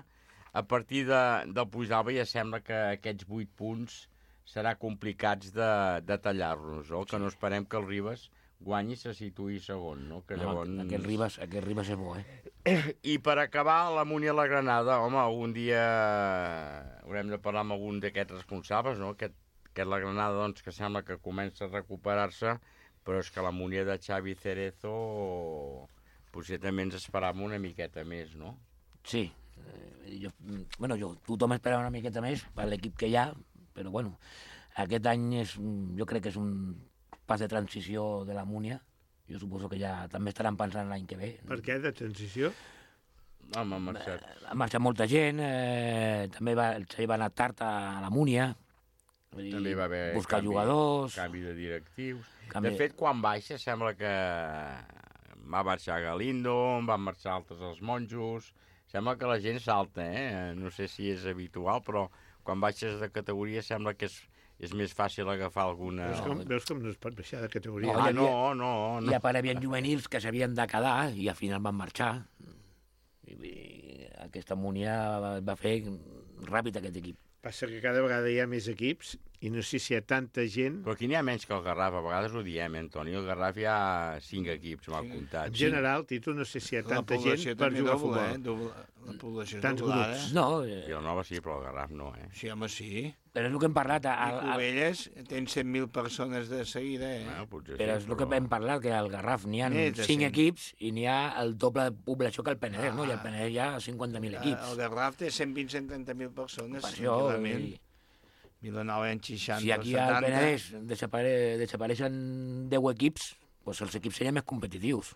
S2: a partir de, del Puigdàlber, ja sembla que aquests vuit punts serà complicats de, de tallar-los, no? Que no esperem que el Ribes guanyi i se situï segon, no? Que
S8: No,
S2: llavors...
S8: aquest, Ribas, aquest Ribas és bo, eh?
S2: I per acabar, la Múnia i la Granada, home, algun dia haurem de parlar amb algun d'aquests responsables, no? Aquest, aquest la Granada, doncs, que sembla que comença a recuperar-se, però és que la Múnia de Xavi Cerezo potser també ens esperàvem una miqueta més, no?
S8: Sí. Eh, jo, bueno, jo, tothom esperava una miqueta més per l'equip que hi ha, però bueno, aquest any és, jo crec que és un pas de transició de la Múnia, jo suposo que ja també estaran pensant l'any que ve.
S4: Per què, de transició?
S2: Home, ha marxat.
S8: Ha marxat molta gent, eh, també va, el Xavi va anar tard a la Múnia,
S2: també va haver
S8: buscar
S2: canvi,
S8: jugadors...
S2: canvi de directius.
S8: Canvi...
S2: De fet, quan baixa sembla que va marxar Galindo, van marxar altres els monjos... Sembla que la gent salta, eh? No sé si és habitual, però quan baixes de categoria sembla que és, és més fàcil agafar alguna...
S4: Veus com, veus com no es pot baixar de categoria?
S2: No, ah, no, no, no.
S8: I a part hi havia juvenils que s'havien de quedar i al final van marxar. I, i aquesta Múnia va fer ràpid aquest equip.
S4: Passa que cada vegada hi ha més equips i no sé si hi ha tanta gent...
S2: Però aquí n'hi ha menys que el Garraf, a vegades ho diem, eh, Antoni? El Garraf hi ha cinc equips, m'ha comptat.
S4: En general, Tito, no sé si hi ha tanta gent per jugar a futbol.
S5: Eh? Doble, la població
S4: Tants
S5: doblada.
S4: grups.
S8: No.
S2: Eh... Vilanova sí, però el Garraf no, eh?
S5: Sí, home, sí.
S8: Però és el que hem parlat...
S5: I Cubelles tens cent mil persones de seguida, eh?
S2: Bueno, potser
S8: però
S2: sí,
S8: és el que hem parlat, que al Garraf n'hi ha
S5: Més de
S8: cinc
S5: cent.
S8: equips i n'hi ha el doble de població que el Penedès,
S5: Ah.
S8: no? I el Penedès hi ha cinquanta mil equips.
S5: El Garraf té cent vint a cent trenta mil persones.
S8: Per això,
S5: tranquil·lament.
S8: i-
S5: Vilanova en seixanta
S8: Si aquí
S5: o
S8: al
S5: setanta...
S8: Penedès desapare... desapareixen deu equips, doncs els equips serien més competitius.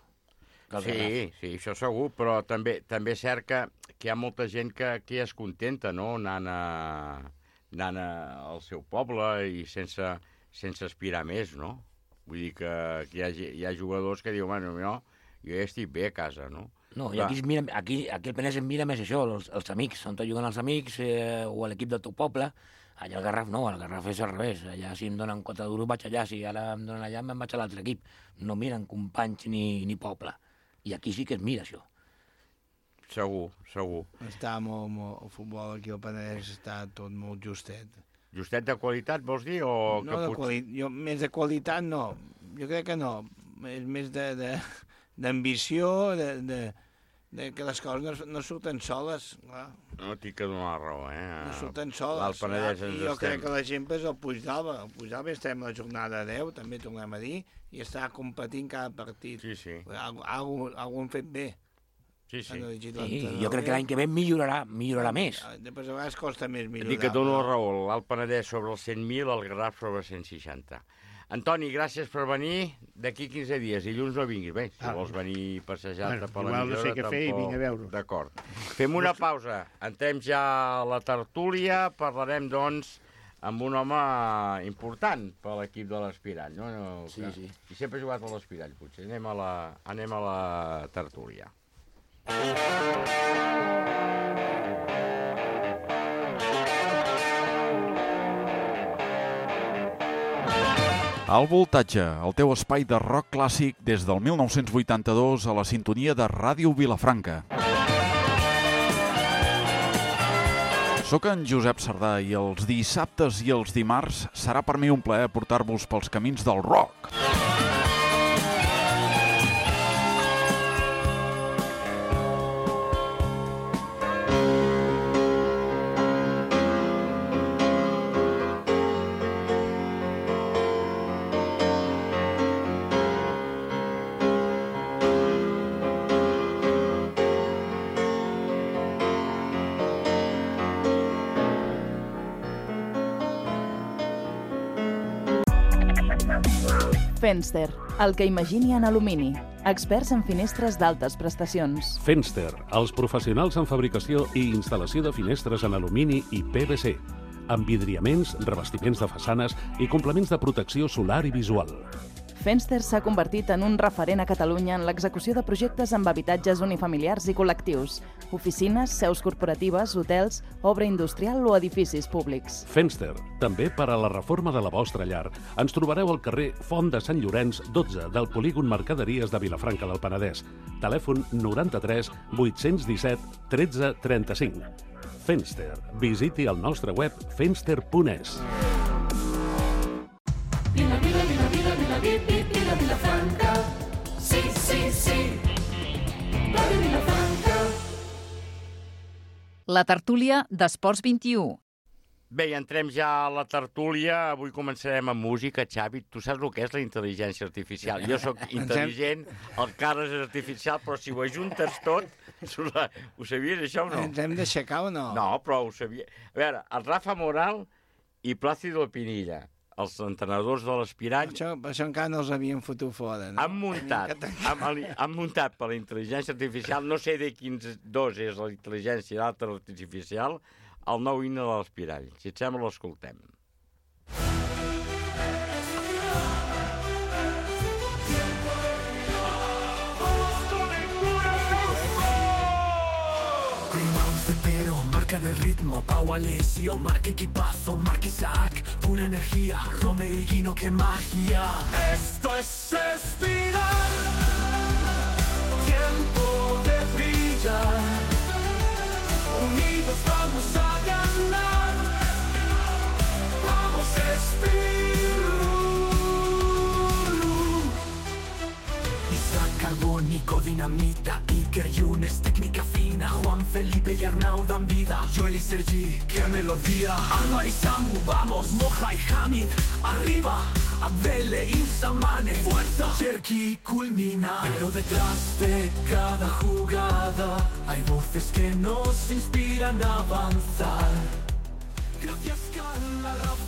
S8: que el
S2: Sí,
S8: Garraf.
S2: sí, això segur, però també també és cert que, que hi ha molta gent que, que ja es contenta, no?, anant, a, anant a, al seu poble i sense, sense aspirar més, no? Vull dir que, que hi, ha, hi ha jugadors que diuen, bueno, jo, jo ja estic bé a casa, no?
S8: No, i aquí, es mira, aquí, aquí el Penedès es mira més això, els, els amics, on juguen els amics eh, o l'equip del teu poble. Allà al Garraf no, al Garraf és al revés. Allà si em donen quatre duros vaig allà, si ara em donen allà me'n vaig a l'altre equip. No miren companys ni, ni poble. I aquí sí que es mira això.
S2: Segur, segur.
S5: Està molt, molt, el futbol aquí al Penedès està tot molt justet.
S2: Justet de qualitat, vols dir? O
S5: No,
S2: que
S5: de
S2: pot...
S5: quali... jo, més de qualitat no. Jo crec que no. És més de, de, d'ambició, de, de, de que les coses no, no surten soles. Clar.
S2: No, tinc que donar la raó, eh?
S5: No surten soles.
S2: L'Alt Penedès
S5: clar.
S2: ens
S5: I jo
S2: estem...
S5: crec que l'exemple és el Puigdalba. El Puigdalba estem a la jornada deu, també tornem a dir, i està competint cada partit.
S2: Sí, sí.
S5: Algú, algú, algú han fet bé.
S2: Sí, sí.
S8: Sí, jo crec que l'any que ve millorarà, millorarà més.
S5: Després a vegades costa més millorar.
S2: Dic que dono la raó, l'Alt Penedès sobre els cent mil, el Garraf sobre cent seixanta. Antoni, gràcies per venir. D'aquí quinze dies, dilluns no vinguis. Bé, si
S4: Ah.
S2: vols venir passejar-te
S4: Bueno,
S2: per
S4: igual no
S2: l'emissora,
S4: sé què fer i vinc a veure'ls.
S2: D'acord. Fem una pausa. Entrem ja a la tertúlia. Parlarem, doncs, amb un home important per l'equip de l'Aspirall. No? No,
S8: Sí,
S2: que...
S8: sí.
S2: I sempre ha jugat a l'Aspirall, potser. Anem a la, anem a la tertúlia.
S14: Al Voltatge, el teu espai de rock clàssic des del mil nou-cents vuitanta-dos a la sintonia de Ràdio Vilafranca. Soc en Josep Sardà i els dissabtes i els dimarts serà per mi un plaer portar-vos pels camins del rock.
S15: Fenster, el que imagini en alumini. Experts en finestres d'altes prestacions.
S16: Fenster, els professionals en fabricació i instal·lació de finestres en alumini i P V C, amb vidriaments, revestiments de façanes i complements de protecció solar i visual.
S15: Fenster s'ha convertit en un referent a Catalunya en l'execució de projectes amb habitatges unifamiliars i col·lectius, oficines, seus corporatives, hotels, obra industrial o edificis públics.
S16: Fenster, també per a la reforma de la vostra llar. Ens trobareu al carrer Font de Sant Llorenç, dotze, del polígon Mercaderies de Vilafranca del Penedès. Telèfon noranta-tres vuit-cents disset tretze trenta-cinc. Fenster. Visiti el nostre web fenster punt es.
S17: Vila, vila, vila, vila, vila, vila, vila, Vilafranca. Sí, sí, sí. Ràdio Vilafranca.
S3: La tertúlia d'Esports vint-i-u.
S2: Bé, entrem ja a la tertúlia. Avui començarem amb música. Xavi, tu saps el que és la intel·ligència artificial? Jo sóc intel·ligent, el Carles és artificial, però si ho ajuntes tot... Ho sabies, això, o no?
S5: Ens hem d'aixecar o no?
S2: No, però ho sabia. A veure, el Rafa Moral i Plàcido Pinilla. els entrenadors de l'Espirall...
S5: Per això encara no els havien fotut fora, no?
S2: Han muntat, han, han muntat per la intel·ligència artificial, no sé de quins dos és la intel·ligència i l'altre artificial, el nou himne de l'Espirall. Si et sembla, l'escoltem.
S17: Marcan el ritmo, Pau Alessio, marca equipazo, marca Isaac, una energía, Romeriguino, qué magia. Esto es Espiral, tiempo de brillar, unidos vamos a ganar, vamos Espirul. Isaac Carbónico, Dinamita, Iker Yunes, técnica fina, Juan Felipe y Arnau dan vida, Joel y Sergi, qué melodía, Anwar y Samu, vamos, Moja y Hamid, arriba, Abdele y Samane, fuerza, Cherki culmina, pero detrás de cada jugada hay voces que nos inspiran a avanzar.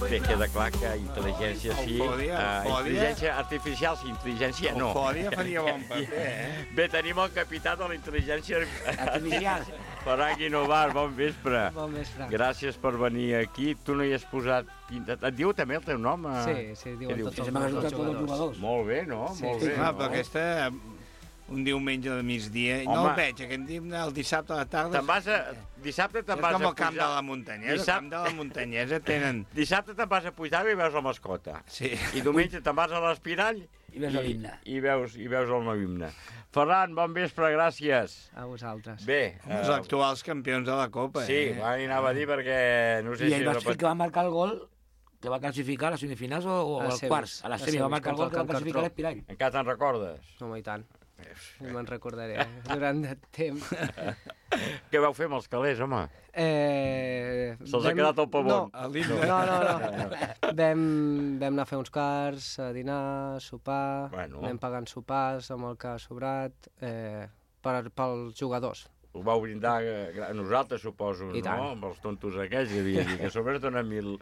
S2: Bé, queda clar que intel·ligència sí,
S5: Eufòria,
S2: uh,
S5: eufòria.
S2: intel·ligència artificial sí, intel·ligència no.
S5: Eufòria faria bon paper, eh?
S2: Bé, tenim el capità de la intel·ligència
S8: artificial.
S2: Ferran Guinovar, bon vespre.
S18: Bon vespre.
S2: Gràcies per venir aquí. Tu no hi has posat... Et diu també el teu nom?
S18: Sí, sí, diuen tots els
S8: jugadors. jugadors.
S2: Molt bé, no?
S18: Sí,
S2: Molt
S18: sí.
S2: bé,
S5: Ah,
S2: no?
S5: però aquesta... Un diumenge de migdia, i no
S2: Home.
S5: el veig, aquest dia, el dissabte a la tarda...
S2: Te'n vas a... Dissabte te'n
S5: És
S2: vas a
S5: com el camp
S2: pujar-
S5: de la muntanyesa,
S2: Dissabte-
S5: el camp de la muntanyesa tenen...
S2: Dissabte te'n vas a Puigdàlber i veus la mascota.
S5: Sí.
S2: I diumenge te'n vas a l'Espirall
S8: I veus l'himne.
S2: I veus, i veus el nou himne. Ferran, bon vespre, gràcies.
S18: A vosaltres.
S2: Bé.
S5: Els
S2: eh,
S5: actuals campions de la Copa,
S2: Sí,
S5: eh?
S2: va, anava a dir perquè... No sé
S8: I
S2: si
S8: ell va
S2: repet-
S8: ser el que va marcar el gol que va classificar a les semifinals o, o
S18: A
S8: als
S18: semis.
S8: quarts. A
S18: A
S8: les semis va
S18: semis,
S8: marcar el
S18: contra
S8: gol que va
S18: el Camp
S8: classificar
S18: Cartró.
S8: l'Espirall.
S2: Encara te'n recordes?
S18: Home, i tant. I me'n recordaré, durant de temps.
S2: Què vau fer amb els calés, home?
S18: Eh,
S2: Se'ls ha quedat el pavón.
S18: No, no, no. no. Vam, vam anar a fer uns cars, a dinar, a sopar,
S2: Bueno.
S18: anem pagant sopars amb el que ha sobrat, eh, per, pels jugadors.
S2: Ho vau brindar a nosaltres, suposo,
S18: I
S2: no?
S18: tant.
S2: Amb els tontos aquells, que havia dit que a sobre es donen mil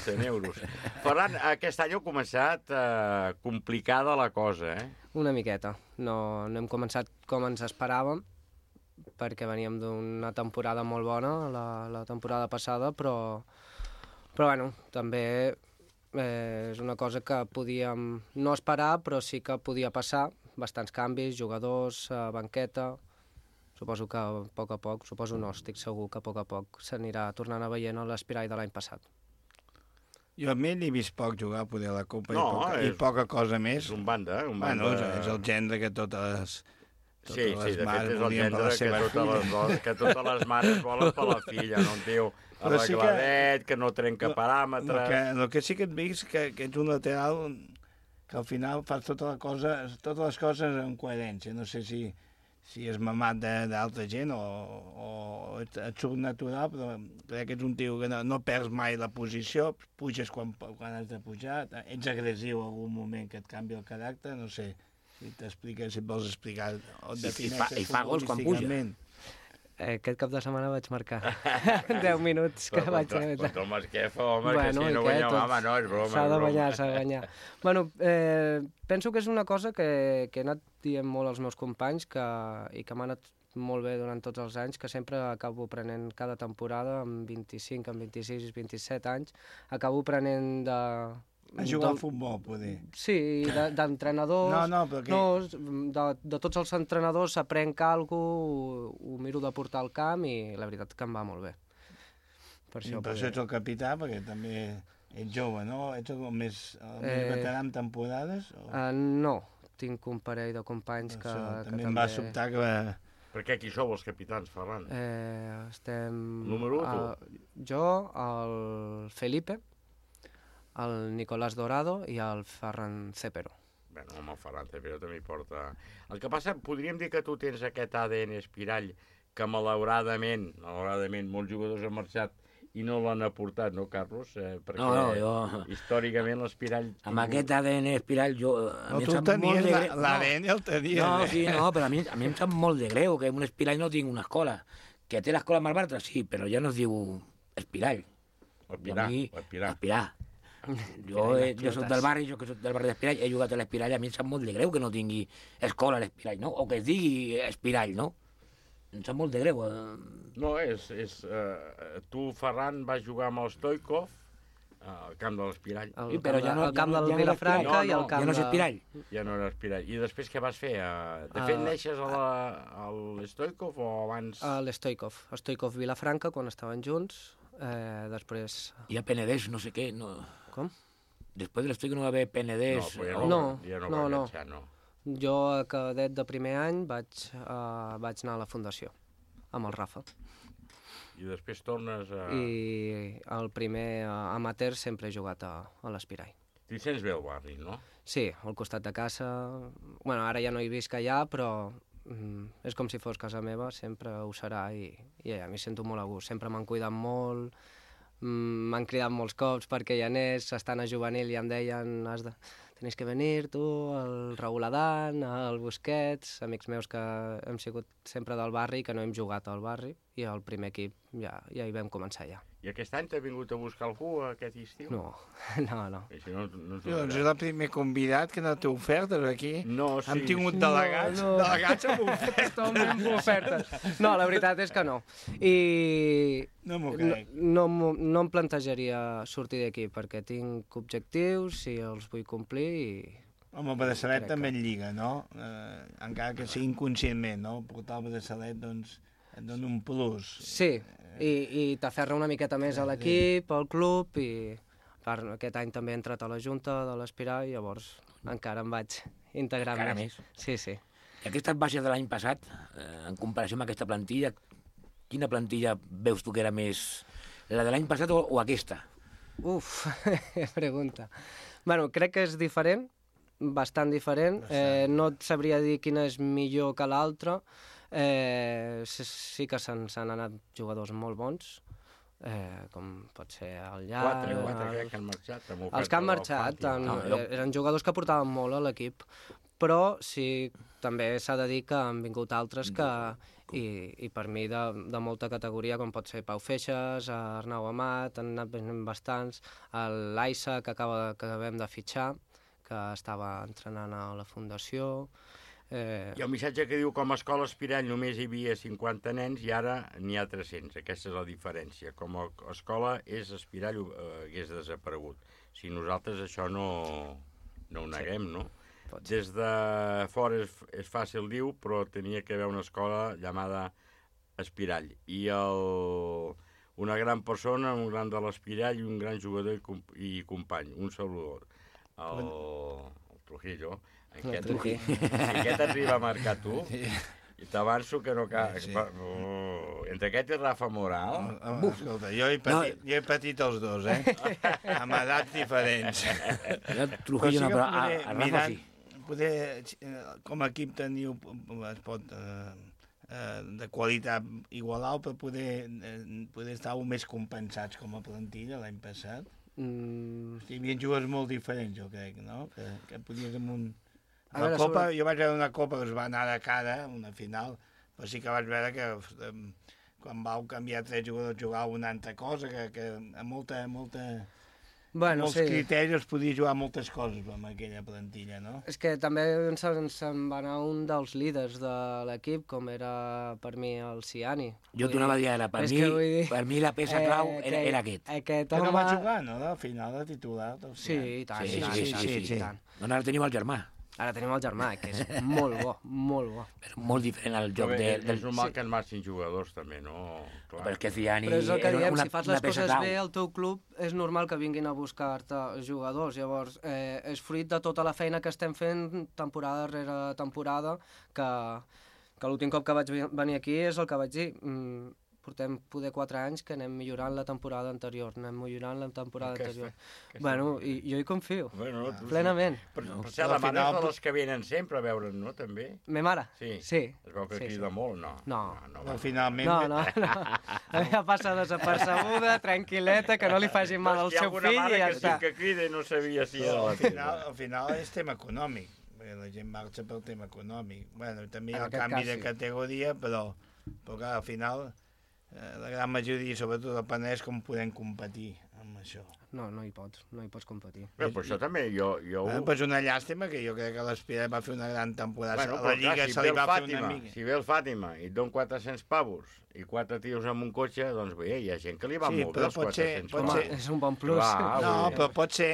S2: cent euros. Ferran, aquest any heu començat eh, complicada la cosa, eh?
S18: Una miqueta. No, no hem començat com ens esperàvem, perquè veníem d'una temporada molt bona, la, la temporada passada, però, però bueno, també eh, és una cosa que podíem no esperar, però sí que podia passar. Bastants canvis, jugadors, eh, banqueta... Suposo que a poc a poc, suposo no, estic segur que a poc a poc s'anirà tornant a veient l'Espirall de l'any passat.
S5: Jo a mi l'he vist poc jugar poder a la Copa
S2: No,
S5: i, poca,
S2: és-
S5: i poca cosa més.
S2: És un banda, un
S5: Bueno,
S2: banda...
S5: és el gendre que totes les, totes
S2: Sí, sí,
S5: les
S2: de fet
S5: mares
S2: és el
S5: volien per
S2: gendre
S5: la
S2: que,
S5: seva
S2: totes les,
S5: filla.
S2: dones- que totes les mares volen per la filla, no? Un tio
S5: Però sí que-
S2: arregladet, que no trenca
S5: El
S2: paràmetres...
S5: que, el que sí que et veig que, que ets un lateral que al final fas tota la cosa, totes les coses en coherència. No sé si, si és mamat de- d'altra gent o, o et, et surt natural, però crec que ets un tio que no, no perds mai la posició, puges quan, quan has de pujar, ets agressiu en algun moment que et canvia el caràcter, no sé si t'expliques, si et vols explicar o et
S8: I- i
S5: defineixes
S8: fa- i fa gols quan puja.
S5: futbolísticament.
S18: Eh, aquest cap de setmana vaig marcar deu minuts que
S2: Però
S18: vaig...
S2: contra, contra el Masquefa, home,
S18: Bueno,
S2: que si
S18: i
S2: no
S18: què,
S2: guanyem,
S18: tots-
S2: home, no, és broma.
S18: S'ha
S2: és
S18: de
S2: broma.
S18: guanyar, s'ha de guanyar. Bueno, eh, penso que és una cosa que, que he anat dient molt als meus companys que, i que m'ha anat molt bé durant tots els anys, que sempre acabo prenent cada temporada, amb vint-i-cinc, amb vint-i-sis, vint-i-set anys, acabo prenent de...
S5: A jugar
S18: del-
S5: al futbol, poder.
S18: Sí, de- d'entrenadors...
S5: No, no, però que-
S18: no, de, de tots els entrenadors s'aprenc alguna cosa, ho, ho miro de portar al camp i la veritat que em va molt bé. Per
S5: I
S18: això,
S5: per això ets el capità, perquè també ets jove, no? Ets el més, el més
S18: Eh,
S5: veterà en temporades? O...
S18: Uh, no, tinc un parell de companys que,
S5: Això,
S18: que
S5: també
S18: també...
S5: em va sobtar que va...
S2: Per què qui sou els capitans, Ferran?
S18: Eh, estem...
S2: Número u,
S18: uh, jo, el Felipe, el Nicolás Dorado i el Ferran Cepero.
S2: Bueno, home, el Ferran Cepero també hi porta... El que passa, podríem dir que tu tens aquest A D N espirall que malauradament, malauradament, molts jugadors han marxat i no l'han aportat, no, Carlos? Eh, perquè
S8: No, no, jo-
S2: històricament l'espirall...
S8: Amb aquest A D N espirall, jo... A
S5: No,
S8: mi
S5: tu
S8: em sap
S5: tenies
S8: molt de
S5: la-
S8: greu-
S5: l'A D N el tenies,
S8: No,
S5: eh?
S8: sí, no, però a mi, a mi em sap molt de greu que un espirall no tingui una escola. Que té l'escola Malbartra, sí, però ja no es diu espirall.
S2: O Espirà,
S8: I a mi-
S2: o Espirà.
S8: Espirà. Jo, he, jo soc del barri, jo que soc del barri d'Espirall, he jugat a l'Espirall, a mi em sap molt de greu que no tingui escola a l'Espirall, no? O que es digui Espirall, no? Em sap molt de greu. Eh?
S2: No, és... és uh, tu, Ferran, vas jugar amb el Stoikov al camp de l'Espirall.
S18: El, sí, però ja no, el camp ja no, del ja Vilafranca no, no, i el camp
S8: ja no és Espirall.
S2: De... Ja no era Espirall. I després què vas fer? Uh, de fet, uh, neixes a la, a l'Stoikov o abans?
S18: A l'Stoikov. A Stoikov Vilafranca, quan estaven junts. Eh, després...
S8: I a Penedès, no sé què, no...
S18: Com?
S8: Després de l'Stoikov no va haver Penedès...
S2: No, ja no,
S18: no,
S2: ja no,
S18: no,
S2: va
S18: no.
S2: llançar, no.
S18: Jo, a cadet de primer any, vaig, uh, vaig anar a la fundació, amb el Rafa.
S2: I després tornes a...
S18: I el primer uh, amateur sempre he jugat a, a l'Espirall.
S2: T'hi sents bé al barri, no?
S18: Sí, al costat de casa. Bueno, ara ja no hi visc allà, però mm, és com si fos casa meva, sempre ho serà i, i ja, m'hi sento molt a gust. Sempre m'han cuidat molt, mm, m'han cridat molts cops perquè hi anés, estant a juvenil i em deien has de... Tenis que venir, tu, el Raül Adan, el Busquets, amics meus que hem sigut sempre del barri i que no hem jugat al barri, i el primer equip ja, ja hi vam començar ja.
S2: I aquest any t'ha vingut a buscar algú aquest estiu?
S18: No, no, no.
S2: Si no, no
S5: doncs és el primer convidat que no té ofertes aquí.
S2: No, sí.
S5: Hem tingut delegats,
S18: no, no.
S5: delegats amb ofertes.
S18: Totalment ofertes. No, la veritat és que no. I
S5: no m'ho crec.
S18: No, no, no em plantejaria sortir d'aquí perquè tinc objectius i els vull complir i...
S5: Home, el braçalet també en lliga, no? Eh, encara que sigui inconscientment, no? Portar el braçalet, doncs, et dona un plus.
S18: Sí, i, i t'aferra una miqueta més a l'equip, al club, i part, aquest any també he entrat a la Junta de l'Espirall, i llavors encara em vaig integrar
S8: encara
S18: més.
S8: més.
S18: Sí, sí.
S8: I aquestes baixes de l'any passat, eh, en comparació amb aquesta plantilla, quina plantilla veus tu que era més... La de l'any passat o, o aquesta?
S18: Uf, pregunta. Bueno, crec que és diferent, bastant diferent. Eh, no et sabria dir quina és millor que l'altra. Eh, sí que s'han anat jugadors molt bons, eh, com pot ser el Llach...
S2: Quatre, quatre crec que han marxat.
S18: Els que han marxat han, no, jo... eren jugadors que portaven molt a l'equip, però sí, també s'ha de dir que han vingut altres que... I, i per mi de, de molta categoria, com pot ser Pau Feixes, Arnau Amat, han anat venint bastants, l'Aissa, que, acaba, que acabem de fitxar, que estava entrenant a la Fundació...
S2: Eh... Hi ha un missatge que diu com a escola Espirall només hi havia cinquanta nens i ara n'hi ha tres-cents. Aquesta és la diferència. Com a escola és Espirall eh, hagués desaparegut. Si nosaltres això no, no ho neguem, no? Des de fora és, és fàcil, diu, però tenia que haver una escola llamada Espirall. I el, una gran persona, un gran de l'Espirall i un gran jugador i, comp i company, un saludor. El, el Trujillo. Aquest, si aquest arriba a marcar tu, i t'avanço que no cal... Sí. Uh, entre aquest i Rafa Moral...
S5: Uh, uh, escolta, jo he, patit, no. jo he patit els dos, eh? Amb edats diferents.
S8: Trujillo no, però a, a Rafa sí.
S5: Poder, com a equip teniu, es pot... Uh, uh, de qualitat igual alt, per poder, uh, poder estar més compensats com a plantilla l'any passat. Mm. Hi havia jugadors molt diferents, jo crec, no? Que, que podies amb un... La veure, copa, sobre... jo vaig veure una copa que es va anar de cara, una final, però sí que vaig veure que eh, quan vau canviar tres jugadors jugava una altra cosa, que, que amb molta, molta,
S18: bueno,
S5: molts
S18: sí.
S5: criteris podia jugar moltes coses amb aquella plantilla, no?
S18: És que també se'n se va anar un dels líders de l'equip, com era per mi el Ciani.
S8: Jo t'ho anava a dir ara, per, mi, dir... per mi la peça clau eh, era, era aquest.
S18: aquest
S5: Però home... va jugar, no? Al final, de titular.
S18: Sí, i tant,
S8: sí,
S18: i tant,
S8: sí,
S18: i tant,
S8: sí, sí, sí.
S18: i tant.
S8: No, ara tenim el germà.
S18: Ara tenim el germà, que és molt bo, molt bo.
S8: Però molt diferent al joc
S2: bé,
S8: de...
S2: És del... normal sí. que en marxin jugadors, també, no? Clar.
S8: Però és que Ciani...
S18: Però és el que diem,
S8: una,
S18: si fas les coses bé al teu club, és normal que vinguin a buscar-te jugadors. Llavors, eh, és fruit de tota la feina que estem fent temporada rere temporada, que, que l'últim cop que vaig venir aquí és el que vaig dir... Mm, portem poder quatre anys que anem millorant la temporada anterior, anem millorant la temporada aquesta, anterior. Aquesta. Bueno, i jo hi confio,
S2: bueno, no,
S18: plenament.
S2: Sí. Però, no, però la mare final... és de les que venen sempre a veure'n, no, també?
S18: Me mare?
S2: Sí.
S18: sí.
S2: Es veu que
S18: sí,
S2: crida
S18: sí.
S2: molt, no?
S18: No.
S2: No,
S5: no, finalment...
S18: No, no, no. Ja passa desapercebuda, tranquil·leta, que no li faci mal al seu fill i ja
S2: que
S18: està.
S2: Sí que crida i no sabia si era la
S5: al final, al final és tema econòmic, perquè la gent marxa pel tema econòmic. Bueno, també hi ha el canvi cas, de categoria, però, però clar, al final... la gran majoria, sobretot el Penedès, com podem competir amb, amb això.
S18: No, no hi pots, no hi pots competir.
S2: Bé, però això també, jo... jo...
S5: Bueno, però és una llàstima que jo crec que l'Espirat va fer una gran temporada.
S2: Bueno,
S5: a la Lliga
S2: clar, si
S5: se li
S2: ve el
S5: va fer
S2: Fàtima,
S5: una mica.
S2: si ve el Fàtima i et don quatre-cents pavos i quatre tios amb un cotxe, doncs bé, hi ha gent que li va
S5: Sí,
S2: molt bé
S5: però
S2: els
S5: pot ser-
S2: quatre-cents
S5: pot
S2: pavos.
S5: ser-
S18: És un bon plus.
S2: Clar,
S5: No,
S2: vull dir-
S5: però pot ser,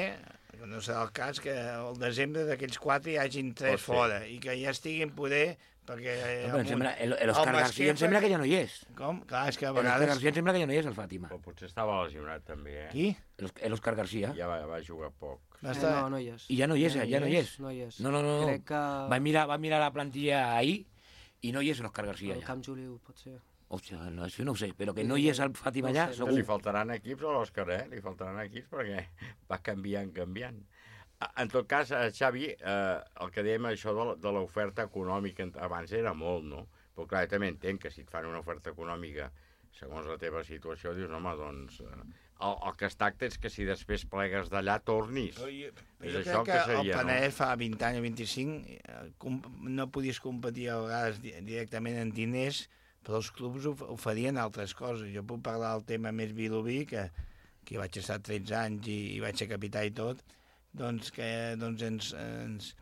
S5: no serà el cas, que al desembre d'aquells quatre hi hagin tres
S2: Pot ser.
S5: fora i que ja estiguin poder... Perquè,
S8: No, però em sembla, el- l'Òscar García em sembla que ja no hi és.
S5: Com? Clar, és que a
S8: L'Òscar
S5: vegades...
S8: García em sembla que ja no hi és, el Fàtima.
S2: Però potser estava lesionat, també, eh?
S5: Qui?
S8: L'Òscar García.
S2: Ja va, va jugar poc.
S18: Eh, no, no hi és.
S8: I ja no hi és,
S18: Ja no
S8: ja no
S18: hi
S8: hi
S18: és,
S8: és.
S18: no hi és.
S8: No, no, no.
S18: Crec que-
S8: Va mirar, va mirar la plantilla ahir i no hi és l'Òscar García
S18: El
S8: ja.
S18: Camp Juliu, pot ser.
S8: Hòstia, no, això no ho sé, però que no hi és el Fàtima allà,
S2: No
S8: segur.
S2: li faltaran equips a l'Òscar, eh? Li faltaran equips perquè va canviant, canviant. En tot cas, eh, Xavi, eh, el que dèiem això de la- de l'oferta econòmica abans era molt, no? Però clar, jo també entenc que si et fan una oferta econòmica segons la teva situació, dius, home, doncs... Eh, el, el que es tracta és que si després plegues d'allà tornis.
S5: Però jo,
S2: és
S5: jo
S2: això
S5: crec que,
S2: seria,
S5: el Penedès fa vint anys o vint-i-cinc eh, com, no podies competir a vegades di directament en diners, però els clubs of oferien altres coses. Jo puc parlar del tema més vilobí, que, que vaig estar tretze anys i, i vaig ser capità i tot, doncs que doncs ens, ens,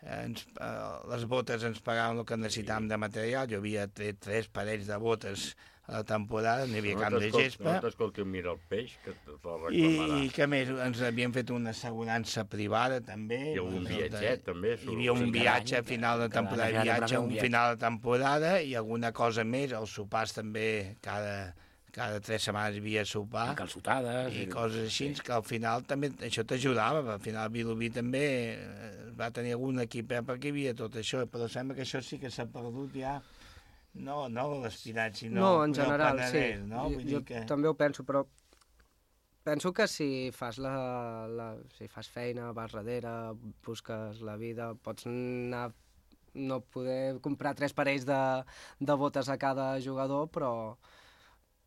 S5: ens, eh, les botes ens pagaven el que necessitàvem de material. Jo havia tret tres parells de botes a la temporada, n'hi havia
S2: No
S5: camp de
S2: t'escolti-
S5: gespa.
S2: No t'escolti un mira el peix, que te te'l
S5: I,
S2: reclamarà.
S5: I què més? Ens havien fet una assegurança privada, també.
S2: I algun
S5: Bueno,
S2: viatget, també,
S5: Hi havia un
S2: surt.
S5: viatge a
S2: Cada
S5: final de
S2: any,
S5: temporada,
S2: cada any
S5: viatge,
S2: un
S5: un
S2: viatge.
S5: final de temporada i alguna cosa més. Els sopars també, cada, cada tres setmanes hi havia sopar.
S8: I calçotades.
S5: I coses així, que al final també això t'ajudava. Al final Vilobí també eh, va tenir algun equip eh, perquè hi havia tot això, però sembla que això sí que s'ha perdut ja. No, no l'Espirat, sinó
S18: No, en
S5: el
S18: general,
S5: Penedès,
S18: sí.
S5: no? Vull
S18: Jo
S5: dir que...
S18: també ho penso, però penso que si fas, la, la, si fas feina, vas darrere, busques la vida, pots anar, no poder comprar tres parells de, de botes a cada jugador, però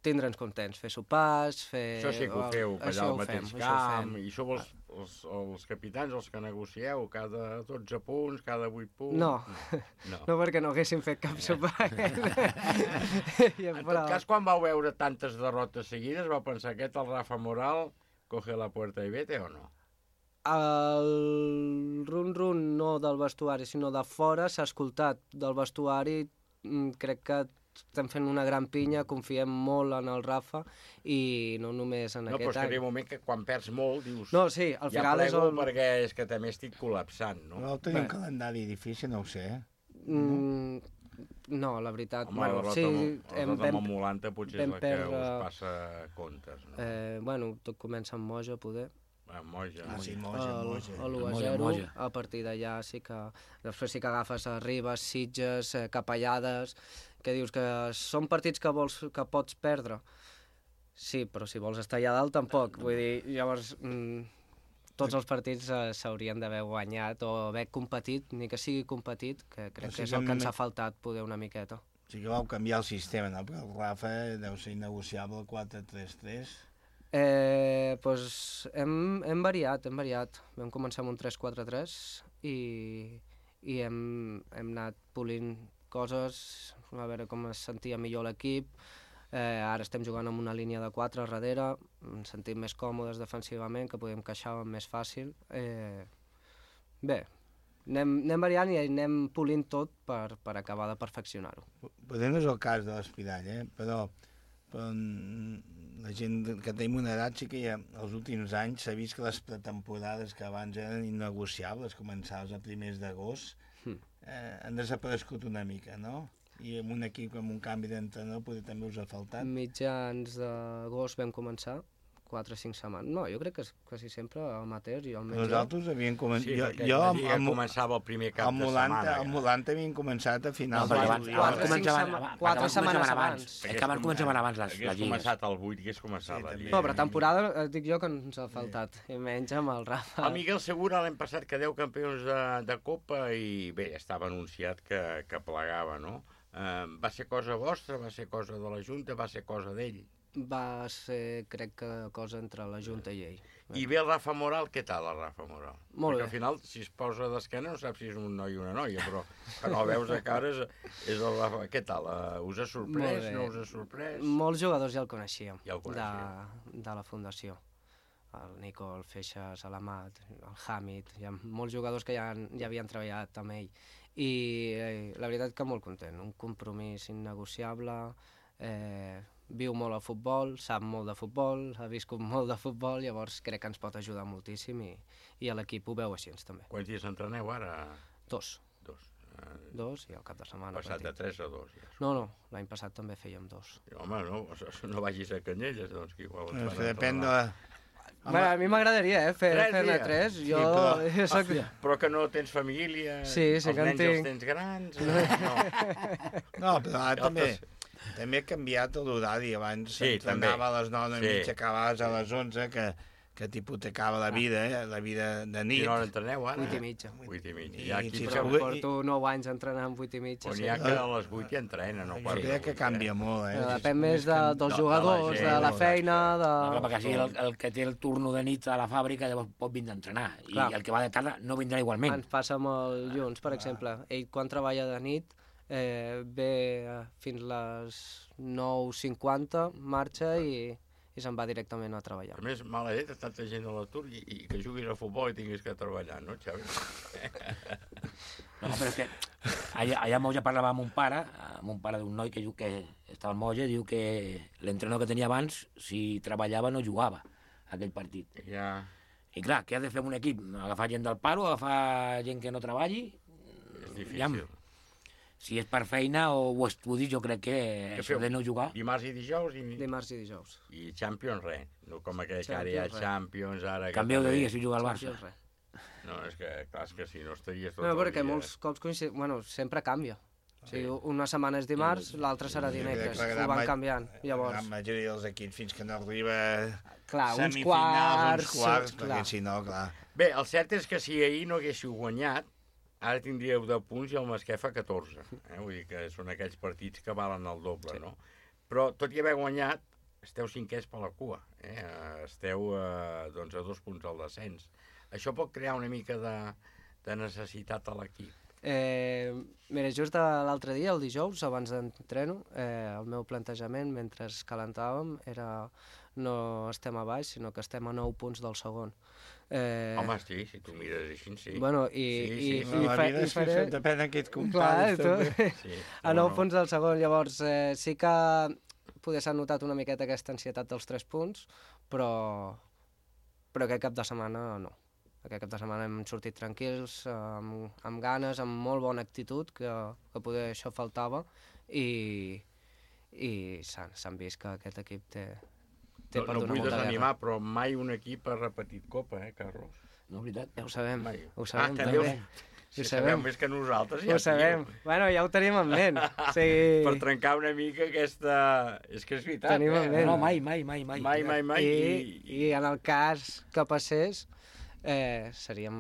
S18: tindre'ns contents, fer sopars, fer...
S2: Això sí que ho feu, allà
S18: això
S2: al
S18: ho
S2: mateix
S18: fem, això ho
S2: camp,
S18: fem.
S2: i sou els, els, els capitans els que negocieu cada dotze punts, cada vuit punts...
S18: No,
S2: no,
S18: no perquè no haguéssim fet cap sopar.
S2: En tot cas, quan vau veure tantes derrotes seguides, vau pensar aquest, el Rafa Moral, coge la puerta i vete o no?
S18: El run-run no del vestuari, sinó de fora, s'ha escoltat del vestuari, mm, crec que estem fent una gran pinya, confiem molt en el Rafa i no només en
S2: No, però
S18: aquest
S2: és que
S18: any.
S2: arriba un moment que quan perds molt dius...
S18: No, sí, al
S2: ja
S18: final és
S2: plego
S18: el-
S2: perquè és que també estic col·lapsant, no?
S5: No tenim un calendari difícil, no ho sé.
S18: Mm, no, la veritat...
S2: Home,
S18: bueno,
S2: la
S18: sí,
S2: derrota
S18: hem,
S2: amb el Molanta potser és
S18: vam
S2: la que
S18: perdre-
S2: us passa comptes, no?
S18: Eh, bueno, tot comença amb Moja, poder.
S2: Ah, Moja.
S5: Ah, sí, Moja,
S18: El-
S5: Moja.
S18: el u a
S8: Moja,
S18: zero,
S8: Moja.
S18: a partir d'allà sí que... Després sí que agafes a Ribes, Sitges, eh, Capellades, que dius que són partits que, vols, que pots perdre. Sí, però si vols estar allà dalt tampoc. Vull dir, llavors mm, tots els partits eh, s'haurien d'haver guanyat o haver competit, ni que sigui competit, que crec
S5: O sigui
S18: que és
S5: que
S18: el que ens
S5: només-
S18: ha faltat poder una miqueta.
S5: O sigui que vau canviar el sistema, no? Perquè el Rafa deu ser innegociable el quatre tres tres.
S18: Eh, doncs hem, hem variat, hem variat. Vam començar amb un tres quatre tres i, i hem, hem anat polint coses, a veure com es sentia millor l'equip. Eh, ara estem jugant amb una línia de quatre a darrere, ens sentim més còmodes defensivament, que podem queixar més fàcil. Eh, bé, anem, anem variant i anem polint tot per, per acabar de perfeccionar-ho.
S5: Potser no és el cas de l'Espirall, eh? Però, però mm, la gent que tenim una edat sí que ja, els últims anys s'ha vist que les pretemporades que abans eren innegociables, començaves a primers d'agost,
S18: Hmm.
S5: eh, han desaparegut una mica, no? I amb un equip amb un canvi d'entrenador potser també us ha faltat.
S18: Mitjans d'agost vam començar, quatre o cinc setmanes. No, jo crec que és quasi sempre amateur i almenys
S5: Nosaltres havíem començat...
S2: Sí,
S5: jo,
S2: perquè
S5: jo,
S2: la
S5: amb,
S2: Lliga
S5: amb,
S2: començava el primer cap
S5: amb
S2: de
S5: Molanta,
S2: setmana,
S5: Amb
S2: ja.
S5: Molanta havíem començat a finals
S8: No,
S5: de
S8: perquè abans,
S5: juliol.
S8: abans començaven,
S18: sema-
S8: abans,
S18: quatre
S8: abans
S18: setmanes
S8: començaven
S18: abans.
S8: abans. És que abans començaven abans les,
S2: Hagués
S8: les lligues.
S2: començat al vuit, hagués començat la Lliga.
S18: No, però temporada, eh, dic jo, que ens ha faltat, i menys amb el Rafa.
S2: El Miguel Segura l'any passat quedeu campions de, de Copa i bé, ja estava anunciat que, que plegava, no? Eh, va ser cosa vostra, va ser cosa de la Junta, va ser cosa d'ell.
S18: Va ser, crec que, cosa entre la Junta i ell.
S2: I ve el Rafa Moral, què tal el Rafa Moral?
S18: Molt
S2: Perquè
S18: bé.
S2: al final, si es posa d'esquena, no saps si és un noi o una noia, però quan el veus a cara és, és el Rafa. Què tal? Uh, us ha
S18: Molt
S2: sorprès?
S18: bé.
S2: No us ha sorprès?
S18: Molts jugadors ja el coneixíem,
S2: Ja el coneixíem.
S18: de, de la Fundació. el Nico, el Feixas, l'Amat, el Hamid, hi ha molts jugadors que ja, ja havien treballat amb ell. I eh, la veritat que molt content, un compromís innegociable, eh, viu molt al futbol, sap molt de futbol, ha viscut molt de futbol, llavors crec que ens pot ajudar moltíssim i, i l'equip ho veu així també.
S2: Quants dies entreneu ara?
S18: Dos.
S2: Dos. Uh,
S18: dos i al cap de setmana.
S2: Passat de tres a dos. Ja.
S18: No, no, l'any passat també fèiem dos.
S2: I, home, no, no vagis a Canyelles, doncs, que igual...
S5: No, que depèn de...
S18: Home, a mi m'agradaria, eh, fer, fer-ne tres. Jo, sí,
S2: però,
S18: jo soc...
S2: però que no tens família,
S18: sí, sí,
S2: els
S18: que
S2: nens
S18: tinc.
S2: els tens grans... No,
S5: no però ara també... També ha canviat l'horari, abans
S2: sí,
S5: s'entrenava a les nou i
S2: sí.
S5: mitja, acabaves a les onze, que, que t'hipotecava la vida, eh? La vida de nit.
S2: Quina hora entreneu ara?
S18: Vuit i mitja.
S2: Vuit i mitja.
S5: I,
S2: I aquí
S5: si
S2: que...
S18: Però porto nou anys entrenant vuit i mitja.
S2: On hi ha que a les vuit hi entrena, no?
S5: Jo crec que canvia molt, eh?
S18: Però depèn més de, dels jugadors, de la feina, de...
S8: No, perquè si el, el que té el turno de nit a la fàbrica llavors pot vindre a entrenar, i
S18: Clar.
S8: el que va de tarda no vindrà igualment.
S18: Ens passa amb el Lluns, per exemple. Ell, quan treballa de nit, eh, ve fins les nou cinquanta, marxa i, i se'n va directament a treballar.
S2: A més, mala llet, tanta gent a l'atur i, i que juguis a futbol i tinguis que treballar, no, Xavi?
S8: No, però és que allà, allà a Moja parlava amb un pare, amb un pare d'un noi que, que estava al Moja, diu que l'entrenador que tenia abans, si treballava no jugava aquell partit.
S2: Ja.
S8: I clar, què ha de fer un equip? Agafar gent del paro, agafar gent que no treballi?
S2: És difícil.
S8: Ja, si és per feina o, o estudis, jo crec que, que això de no jugar...
S2: Dimarts i dijous? I...
S18: Dimarts i dijous.
S2: I Champions, res. No com aquell que ara hi ha Champions, ara...
S8: Canvieu de dia si juga al Barça.
S2: No, és que, clar, és que si no estaries tot
S18: no,
S2: el
S18: perquè
S2: dia...
S18: molts cops coincid... Bueno, sempre canvia. O sigui, una setmana és dimarts, l'altra serà dimecres. Ho van canviant, llavors.
S5: La majoria dels equips, fins que no arriba...
S18: Clar, uns
S5: semifinals,
S18: quarts...
S5: uns quarts,
S18: clar.
S5: perquè si no, clar...
S2: Bé, el cert és que si ahir no haguéssiu guanyat, ara tindríeu deu punts i el Masquefa catorze. Eh? Vull dir que són aquells partits que valen el doble, sí. No? Però tot i haver guanyat, esteu cinquers per la cua. Eh? Esteu eh, doncs a dos punts al descens. Això pot crear una mica de, de necessitat a l'equip.
S18: Eh, mira, just l'altre dia, el dijous, abans d'entreno, eh, el meu plantejament, mentre calentàvem, era no estem a baix, sinó que estem a nou punts del segon.
S2: Eh... Home, sí, si tu mires així, sí.
S18: Bueno, i...
S2: Sí, sí,
S18: i,
S2: sí.
S18: i
S5: la vida és faré... que depèn de qui et comparis.
S18: Clar,
S2: sí,
S18: a nou no. punts del segon, llavors eh, sí que poder s'ha notat una miqueta aquesta ansietat dels tres punts, però, però aquest cap de setmana no. Aquest cap de setmana hem sortit tranquils, amb, amb ganes, amb molt bona actitud, que, que poder això faltava, i, i s'han vist que aquest equip té, té
S2: no,
S18: per
S2: no
S18: donar
S2: vull
S18: molta
S2: desanimar,
S18: guerra.
S2: Però mai un equip ha repetit Copa, eh, Carlos?
S8: No, veritat.
S18: Ja ho sabem,
S2: mai.
S18: ho sabem.
S2: Ah,
S18: també.
S2: Si
S18: ho
S2: sabeu
S18: sabem.
S2: més que nosaltres, ja
S18: ho sabem. Bueno, ja ho tenim en ment. O sigui...
S2: Per trencar una mica aquesta... És que és veritat,
S18: tenim
S2: eh?
S18: en ment.
S8: No, mai, mai, mai, mai.
S2: Mai, mai, mai.
S18: I,
S2: I,
S18: i... i en el cas que passés, eh, seríem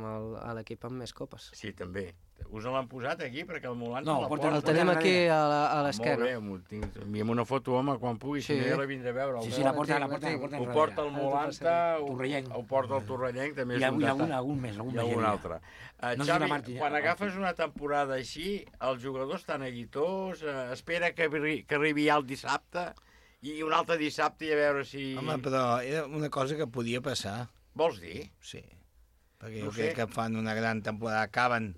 S18: l'equip amb més copes.
S2: Sí, també. Us l'han posat aquí perquè el Molant
S8: no,
S2: la
S8: porta,
S18: el tenim aquí a l'esquena.
S2: Molt bé, envia'm una foto, home, quan pugui, sí. Si no ja la vindré a veure.
S8: Sí, sí, la porta, la porta, la porta.
S2: Ho porta el Molanta, ho porta el Torrellenc, també és un
S8: detall. Hi ha algun més, algun més.
S2: Hi ha algun altre. Uh, Xavi, quan agafes una temporada així, els jugadors estan aguitós, uh, espera que, que arribi ja el dissabte, i un altre dissabte i a veure si...
S5: Home, però era una cosa que podia passar.
S2: Vols dir?
S5: Sí. Perquè jo crec que fan una gran temporada, acaben...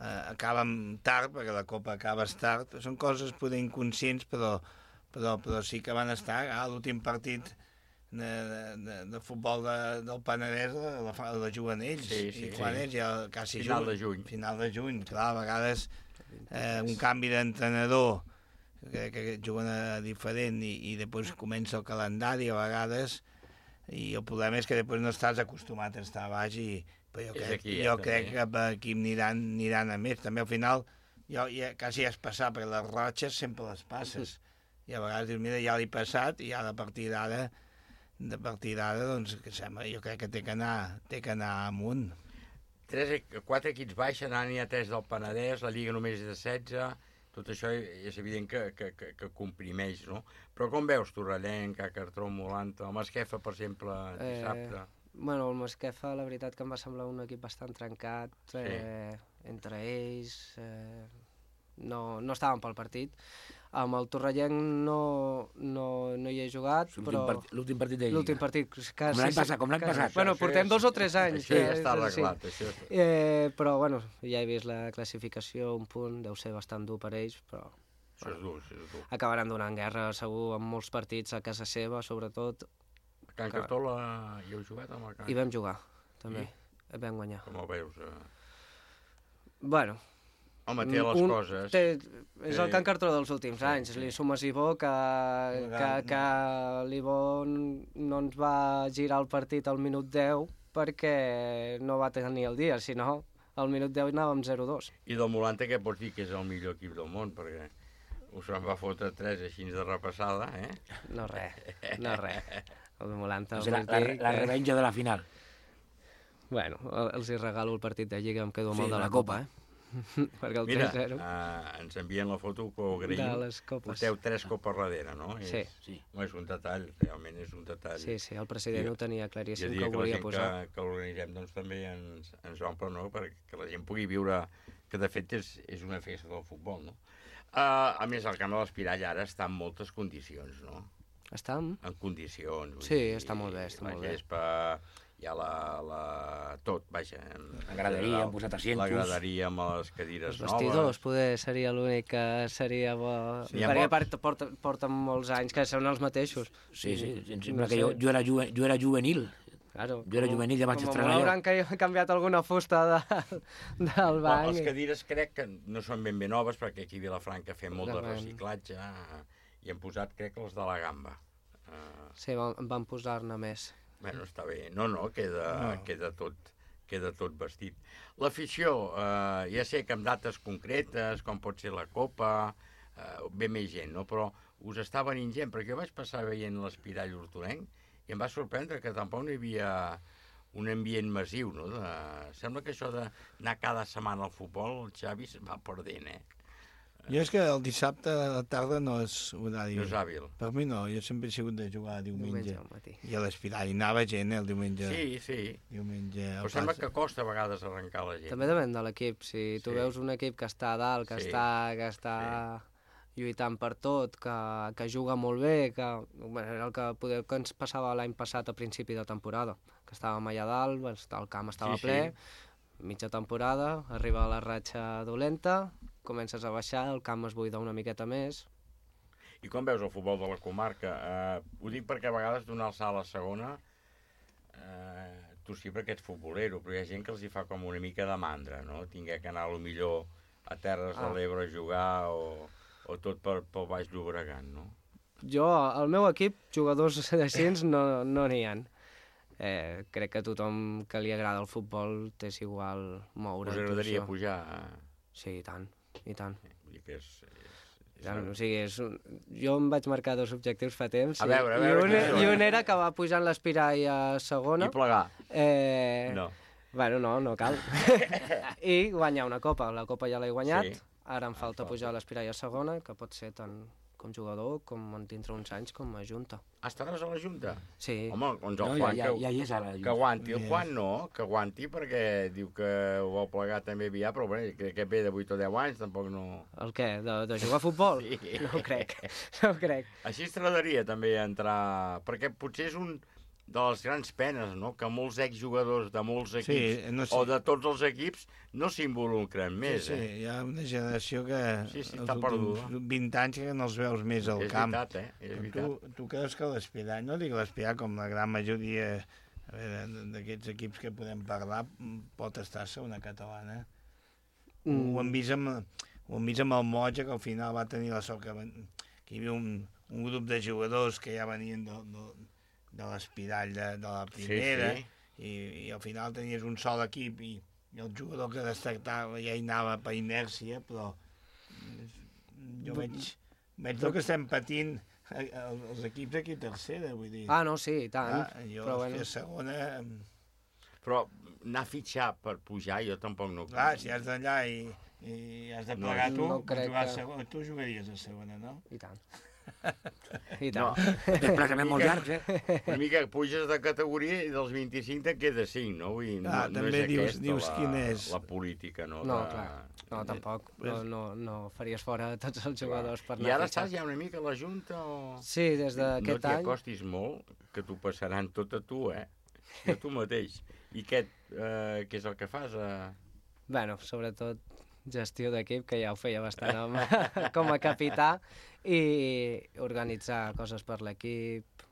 S5: Uh, acaben tard, perquè la Copa acabes tard. Són coses poder inconscients, però, però, però sí que van estar a l'últim partit de, de, de futbol de, del Penedès la, la, la juguen ells.
S2: Sí, sí,
S5: I quan
S2: sí.
S5: ells ja quasi
S2: final
S5: juguen,
S2: de juny.
S5: Final de juny, clar, a vegades eh, un canvi d'entrenador que, que juguen a diferent i, i després comença el calendari a vegades i el problema és que després no estàs acostumat a estar a baix i però jo crec,
S2: aquí,
S5: jo
S2: ja,
S5: crec que per aquí aniran, aniran a més. També al final, jo ja, quasi has passat, perquè les ratxes sempre les passes. I a vegades dius, mira, ja l'he passat, i ja de partir d'ara, de partir d'ara, doncs, que sembla, jo crec que té que anar, té que anar amunt.
S2: Tres, quatre equips baixen, ara n'hi ha tres del Penedès, la Lliga només és de setze, tot això és evident que, que, que, que comprimeix, no? Però com veus Torrellenc, Cartró, Molanta, el Masquefa, per exemple, dissabte...
S18: Eh... Bueno, el Masquefa, la veritat que em va semblar un equip bastant trencat, eh, sí. entre ells, eh, no, no estaven pel partit. Amb el Torrellenc no, no, no hi he jugat, però...
S8: L'últim partit de Lliga.
S18: L'últim partit. Que,
S8: com l'any passat, com l'any passat.
S18: Bueno, portem dos o tres anys.
S2: Això ja està arreglat, això.
S18: Eh, però, bueno, ja he vist la classificació, un punt, deu ser bastant dur per ells, però...
S2: Això és dur, això és dur.
S18: Acabaran donant guerra, segur, amb molts partits a casa seva, sobretot.
S2: A Can Cartola hi heu jugat amb el Can?
S18: Hi vam jugar, també. I vam guanyar.
S2: Com ho veus? Eh?
S18: Bueno...
S2: Home, té les
S18: un,
S2: coses.
S18: Té, és el Can Cartola dels últims sí, anys. Sí. Li sumes Ibó, que, que, que l'Ibó no ens va girar el partit al minut deu perquè no va tenir el dia, si no, al minut deu anàvem zero dos.
S2: I del Molante què pots dir que és el millor equip del món? Perquè us en va fotre tres així de repassada, eh?
S18: No res, no res. El Molante...
S8: O sigui, la, la, la revenja de la final.
S18: Bueno, els hi regalo el partit de Lliga, em quedo
S8: sí,
S18: molt de la, la Copa, eh? Perquè el
S2: Mira,
S18: tres zero...
S2: Uh, ens envien la foto que ho agraïm.
S18: De les copes.
S2: Porteu tres copes darrere, no?
S18: Sí.
S2: És, sí. Home, és un detall, realment és un detall.
S18: Sí, sí, el president ho tenia claríssim que ho
S2: que
S18: volia posar.
S2: Que, que l'organitzem doncs, també ens, ens omple, no? Perquè la gent pugui viure, que de fet és, és una festa del futbol, no? Uh, a més, el camp de l'Espirall ara està en moltes condicions, no?
S18: Està en?
S2: En condicions.
S18: Sí, dir, està molt bé, està molt bé.
S2: La gespa... hi ha la, la... tot, vaja.
S8: La graderia, han posat asientos.
S2: La graderia amb les cadires noves.
S18: Els vestidors, poder, seria l'únic que seria bo. Sí, perquè molt... porta, porten molts anys que són els mateixos.
S8: Sí, sí, sí em sembla no que sé. jo, jo, era juve, jo era juvenil.
S18: Claro,
S8: jo era juvenil, ja vaig estrenar
S18: jo. Com hauran canviat alguna fusta de, del banc.
S2: Les cadires crec que no són ben bé noves, perquè aquí a Vilafranca fem molt de, de reciclatge i hem posat, crec, les de la gamba.
S18: Uh... Sí, van, van posar-ne més.
S2: Bueno, està bé. No, no, queda, no. queda, tot, queda tot vestit. L'afició, eh, ja sé que amb dates concretes, com pot ser la Copa, eh, ve més gent, no? Però us està venint gent, perquè jo vaig passar veient l'Espirall Hortonenc i em va sorprendre que tampoc no hi havia un ambient massiu, no? De... Sembla que això d'anar cada setmana al futbol, el Xavi se'n va perdent, eh?
S5: Jo és que el dissabte a la tarda no és horari.
S2: No és hàbil.
S5: Per mi no, jo sempre he sigut de jugar diumenge.
S18: diumenge
S5: I a l'Espirall anava gent, eh, el diumenge.
S2: Sí, sí.
S5: Diumenge.
S2: Però sembla que costa a vegades arrencar la gent.
S18: També depèn de l'equip. Si tu sí. veus un equip que està a dalt, que sí. està, que està sí. lluitant per tot, que, que juga molt bé, que bueno, era el que, poder, que ens passava l'any passat a principi de temporada, que estàvem allà dalt, el camp estava sí, ple, sí. mitja temporada, arriba la ratxa dolenta, comences a baixar, el camp es buida una miqueta més.
S2: I com veus el futbol de la comarca? Uh, ho dic perquè a vegades donar el salt a la segona, uh, tu sí perquè ets futbolero, però hi ha gent que els hi fa com una mica de mandra, no? Tinguer que anar a lo millor a Terres ah. de l'Ebre a jugar o, o tot per, pel Baix Llobregat, no?
S18: Jo, al meu equip, jugadors així no no n'hi ha. Eh, crec que a tothom que li agrada el futbol t'és igual moure.
S2: Us agradaria pujar?
S18: Sí, i tant. I tant.
S2: Vull dir que és... és, és
S18: tant, o sigui, és un... Jo em vaig marcar dos objectius fa temps.
S2: A veure, a veure...
S18: I un, i un era acabar pujant l'Espirall a segona.
S2: I plegar.
S18: Eh...
S2: No.
S18: Bueno, no, no cal. I guanyar una copa. La copa ja l'he guanyat. Sí. Ara em falta pujar l'Espirall a segona, que pot ser tant com jugador, com en dintre uns anys, com a junta.
S2: Ah, estaràs a la junta?
S18: Sí.
S2: Home, doncs el
S8: no,
S2: Juan,
S8: ja,
S2: que,
S8: ja, ja hi és ara.
S2: Que aguanti. El Juan no, que aguanti, perquè diu que ho vol plegar també aviat, però bé, que, que ve de vuit o deu anys, tampoc no...
S18: El què? De, de jugar a futbol?
S2: Sí.
S18: No ho crec, no ho crec.
S2: Així es t'agradaria també entrar... Perquè potser és un de les grans penes, no?, que molts exjugadors de molts equips, sí, no sé. o de tots els equips, no s'involucren més.
S5: Sí, sí,
S2: eh?
S5: hi ha una generació que
S2: sí, sí, està perduda.
S5: vint anys que no els veus més al
S2: és
S5: camp.
S2: Veritat, eh? És veritat.
S5: Tu, tu creus que l'Espirall, no dic l'Espirall, com la gran majoria d'aquests equips que podem parlar, pot estar a segona catalana? Mm. Ho, hem vist amb, ho hem vist amb el Motja, que al final va tenir la sort que, que hi havia un, un grup de jugadors que ja venien de, de, de l'Espirall de, de la primera, sí, sí. I, i al final tenies un sol equip i, i el jugador que destactava ja hi anava per inèrcia, però jo veig, veig el que estem patint els equips aquí a tercera, vull dir.
S18: Ah, no, sí, i tant.
S5: Ah, jo
S18: però bueno.
S5: a segona...
S2: Però anar a fitxar per pujar jo tampoc no...
S5: Clar, si has d'allà i, i has de plegar
S18: no,
S5: tu,
S18: no crec
S5: jugar
S18: que...
S5: a segona, tu jugaries a segona, no?
S18: I tant. i tant.
S8: No. Desplaçaments molt llargs,
S2: eh? Una mica puges de categoria i dels vint-i-cinc te'n queda cinc, no? Vull dir, no,
S5: ah,
S2: no
S5: també
S2: és
S5: dius,
S2: aquesta
S5: dius
S2: la,
S5: quin és.
S2: la política, no?
S18: No,
S2: de...
S18: clar, no, tampoc. No, no, no faries fora tots els jugadors per
S2: I ara estàs ja una mica a la Junta o...?
S18: Sí, des d'aquest any...
S2: No t'hi acostis molt, que t'ho passaran tot a tu, eh? A tu mateix. I què, eh, què és el que fas? Eh?
S18: Bueno, sobretot gestió d'equip, que ja ho feia bastant amb, com a capità, i organitzar coses per l'equip,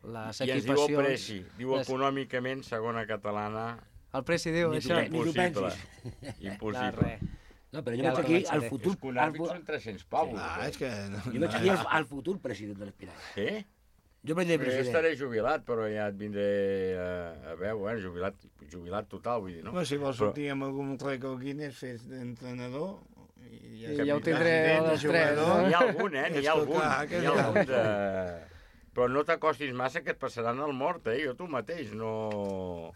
S18: les
S2: I ens
S18: equipacions...
S2: diu el Preci, diu
S18: les...
S2: econòmicament, segona catalana...
S18: El Preci diu
S2: ni
S18: això?
S2: Impossible. Impossible.
S8: No, però jo veig aquí el futur...
S2: Els econòmics són tres-cents pavos.
S5: Ah, és que...
S8: Jo veig aquí el futur president de l'Espirall.
S2: Sí?
S8: Jo vaig dir president.
S2: Jo estaré jubilat, però ja et vindré a, a veure, bueno, jubilat, jubilat total, vull dir, no?
S5: Però si vols sortir amb algun rècord Guinness, fes d'entrenador...
S18: I ja, ja ho tindré a les tres.
S2: N'hi ha algun, eh? N'hi ha algun. N'hi ha algun de... Però no t'acostis massa, que et passaran el mort, eh? Jo tu mateix, no...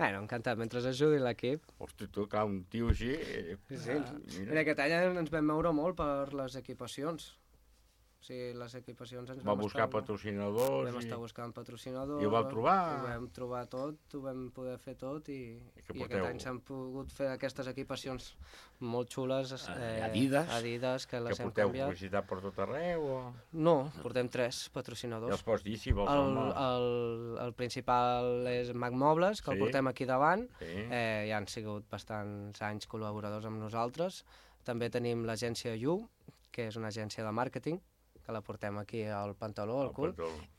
S18: Bueno, encantat, mentre ajudi l'equip.
S2: Hosti, tu, clar, un tio així...
S18: Sí, sí. Mira, aquest any ens vam moure molt per les equipacions. O sigui, les equipacions ens
S2: vam
S18: Va
S2: buscar
S18: estar,
S2: patrocinadors...
S18: Vam
S2: i...
S18: estar buscant patrocinadors...
S2: I ho vau trobar?
S18: Ho vam trobar tot, ho vam poder fer tot i, i
S2: porteu...
S18: aquest any s'han pogut fer aquestes equipacions molt xules.
S8: Eh, Adidas.
S18: Adidas, que les
S2: que
S18: hem
S2: porteu
S18: canviat.
S2: publicitat per tot arreu o...?
S18: No, portem tres patrocinadors.
S2: I els pots dir, si vols,
S18: el,
S2: home.
S18: El, el principal és Mac Mobles, que sí. el portem aquí davant.
S2: Sí.
S18: Eh, ja han sigut bastants anys col·laboradors amb nosaltres. També tenim l'agència You, que és una agència de màrqueting, que la portem aquí al pantaló, al cul,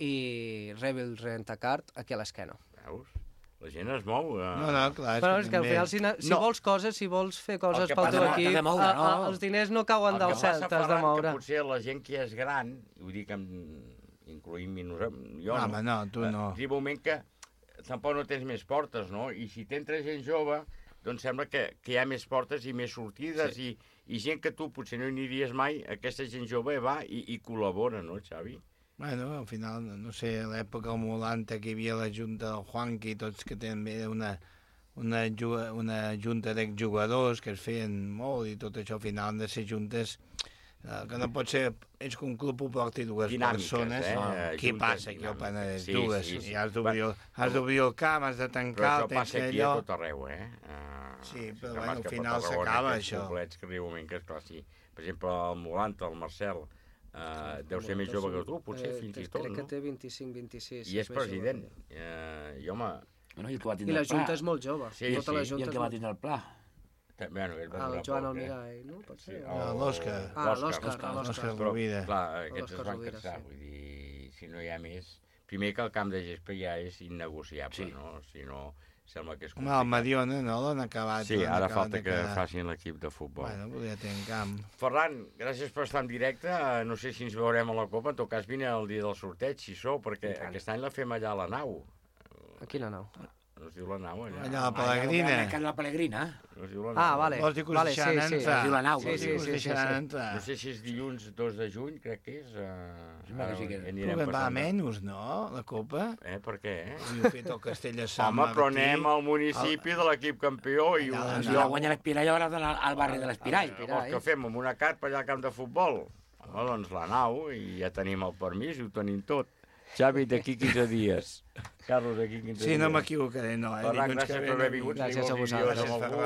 S18: i Rebel Rent-A-Cart aquí a l'esquena.
S2: Veus? La gent es mou. Eh?
S5: No, no, clar.
S18: Però és que al final, si, si
S2: no.
S18: vols coses, si vols fer coses pel teu equip,
S8: de moure, no?
S18: a, a, els diners no cauen del cel, t'has de moure.
S2: Que potser la gent que és gran, i ho dic amb, incloïm-hi nosaltres, jo
S5: no,
S2: no,
S5: no, tu no.
S2: Arriba un moment que tampoc no tens més portes, no? I si t'entra gent jove, doncs sembla que, que hi ha més portes i més sortides, sí. i, i gent que tu potser no hi aniries mai, aquesta gent jove va i, i col·labora, no, Xavi?
S5: Bueno, al final, no sé, a l'època noranta que hi havia la junta del Juanqui, tots que també una, una, una junta d'exjugadors que es feien molt i tot això, al final han de ser juntes eh, que no pot ser, és que un club ho porti dues
S2: dinàmiques,
S5: persones.
S2: Eh?
S5: No.
S2: Juntes,
S5: Què passa aquí al Penedès?
S2: Sí,
S5: dues.
S2: sí, sí.
S5: I has d'obrir el camp, has de tancar,
S2: però això
S5: tens
S2: passa
S5: que
S2: aquí
S5: allò...
S2: a tot arreu, eh? Uh,
S5: sí, però bueno, al final s'acaba això.
S2: Poblets que arriba un moment que, esclar, sí. Per exemple, el Molanta, el Marcel, uh, deu ser més jove que tu, potser,
S18: eh,
S2: fins i tot,
S18: crec
S2: no?
S18: que té vint-i-cinc vint-i-sis.
S2: I és president. Uh, I, home...
S8: Bueno, i,
S18: I la Junta és molt jove.
S2: Sí,
S18: tota
S2: sí.
S18: la Junta
S8: I el que va tindre el pla.
S2: Bueno, el,
S18: el Joan Almirall, no? Pot ser?
S2: Sí,
S5: o... l'Òscar.
S18: Ah, l'Òscar.
S5: L'Òscar Rovira.
S2: Clar, aquests es van cansar, vull dir, si no hi ha més... Primer que el camp de gespa ja és innegociable, sí. no? Si no, sembla que és complicat.
S5: Home, el Mediona, no? L'han acabat.
S2: Sí, ara
S5: acabat
S2: falta que
S5: quedar.
S2: facin l'equip de futbol.
S5: Bueno, podria tenir camp.
S2: Ferran, gràcies per estar en directe. No sé si ens veurem a la Copa. En tot cas, vine el dia del sorteig, si sou, perquè aquest any la fem allà a la nau.
S18: A quina nau?
S2: No es diu la nau, allà.
S5: Allà a la Pelegrina.
S8: Allà a la Pelegrina.
S2: No es diu la nau.
S18: Ah, vale.
S5: Vols dir que us
S18: vale,
S5: deixaran
S18: sí, sí.
S5: entrar?
S8: Es diu la nau.
S18: Sí, sí, sí, sí, sí.
S5: entrar.
S2: No sé si és dilluns dos de juny, crec que és. Uh,
S8: Sembla que sí que és.
S5: Però va menys, no, la Copa?
S2: Eh, per què? Eh?
S5: I ho fet el Castell de Sant
S2: Home,
S5: Martí.
S2: però anem al municipi de l'equip campió i...
S5: Allà,
S2: un
S8: Si la guanya l'Espirall, ara al barri de l'Espirall.
S2: Vols que fem amb una carpa allà al camp de futbol? Home, doncs la nau, i ja tenim el permís i ho tenim tot. Xavi, d'aquí quinze dies. Carlos, d'aquí quinze dies.
S5: Sí, no m'equivocaré, no. Eh?
S2: Ferran, gràcies per haver vingut.
S18: Gràcies a vosaltres.
S2: Amb algú,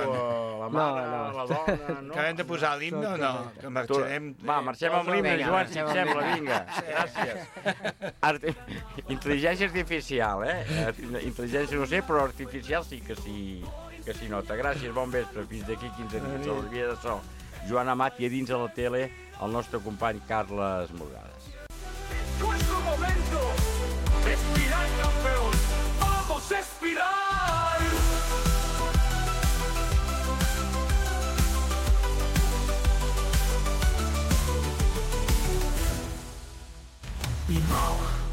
S2: la mare, no, no. la dona... No?
S5: Acabem de posar l'himne o no? Que marxarem...
S2: Va, marxem amb l'himne, Joan, si et sembla, vinga. Gràcies. Art... Intel·ligència artificial, eh? Intel·ligència no sé, però artificial sí que s'hi que s'hi nota. Gràcies, bon vespre. Fins d'aquí quinze dies. A l'Orvia de So. Joan Amat i a dins a la tele el nostre company Carles Morgades.
S17: Nuestro momento, Espiral campeón, vamos Espiral. Y Mau.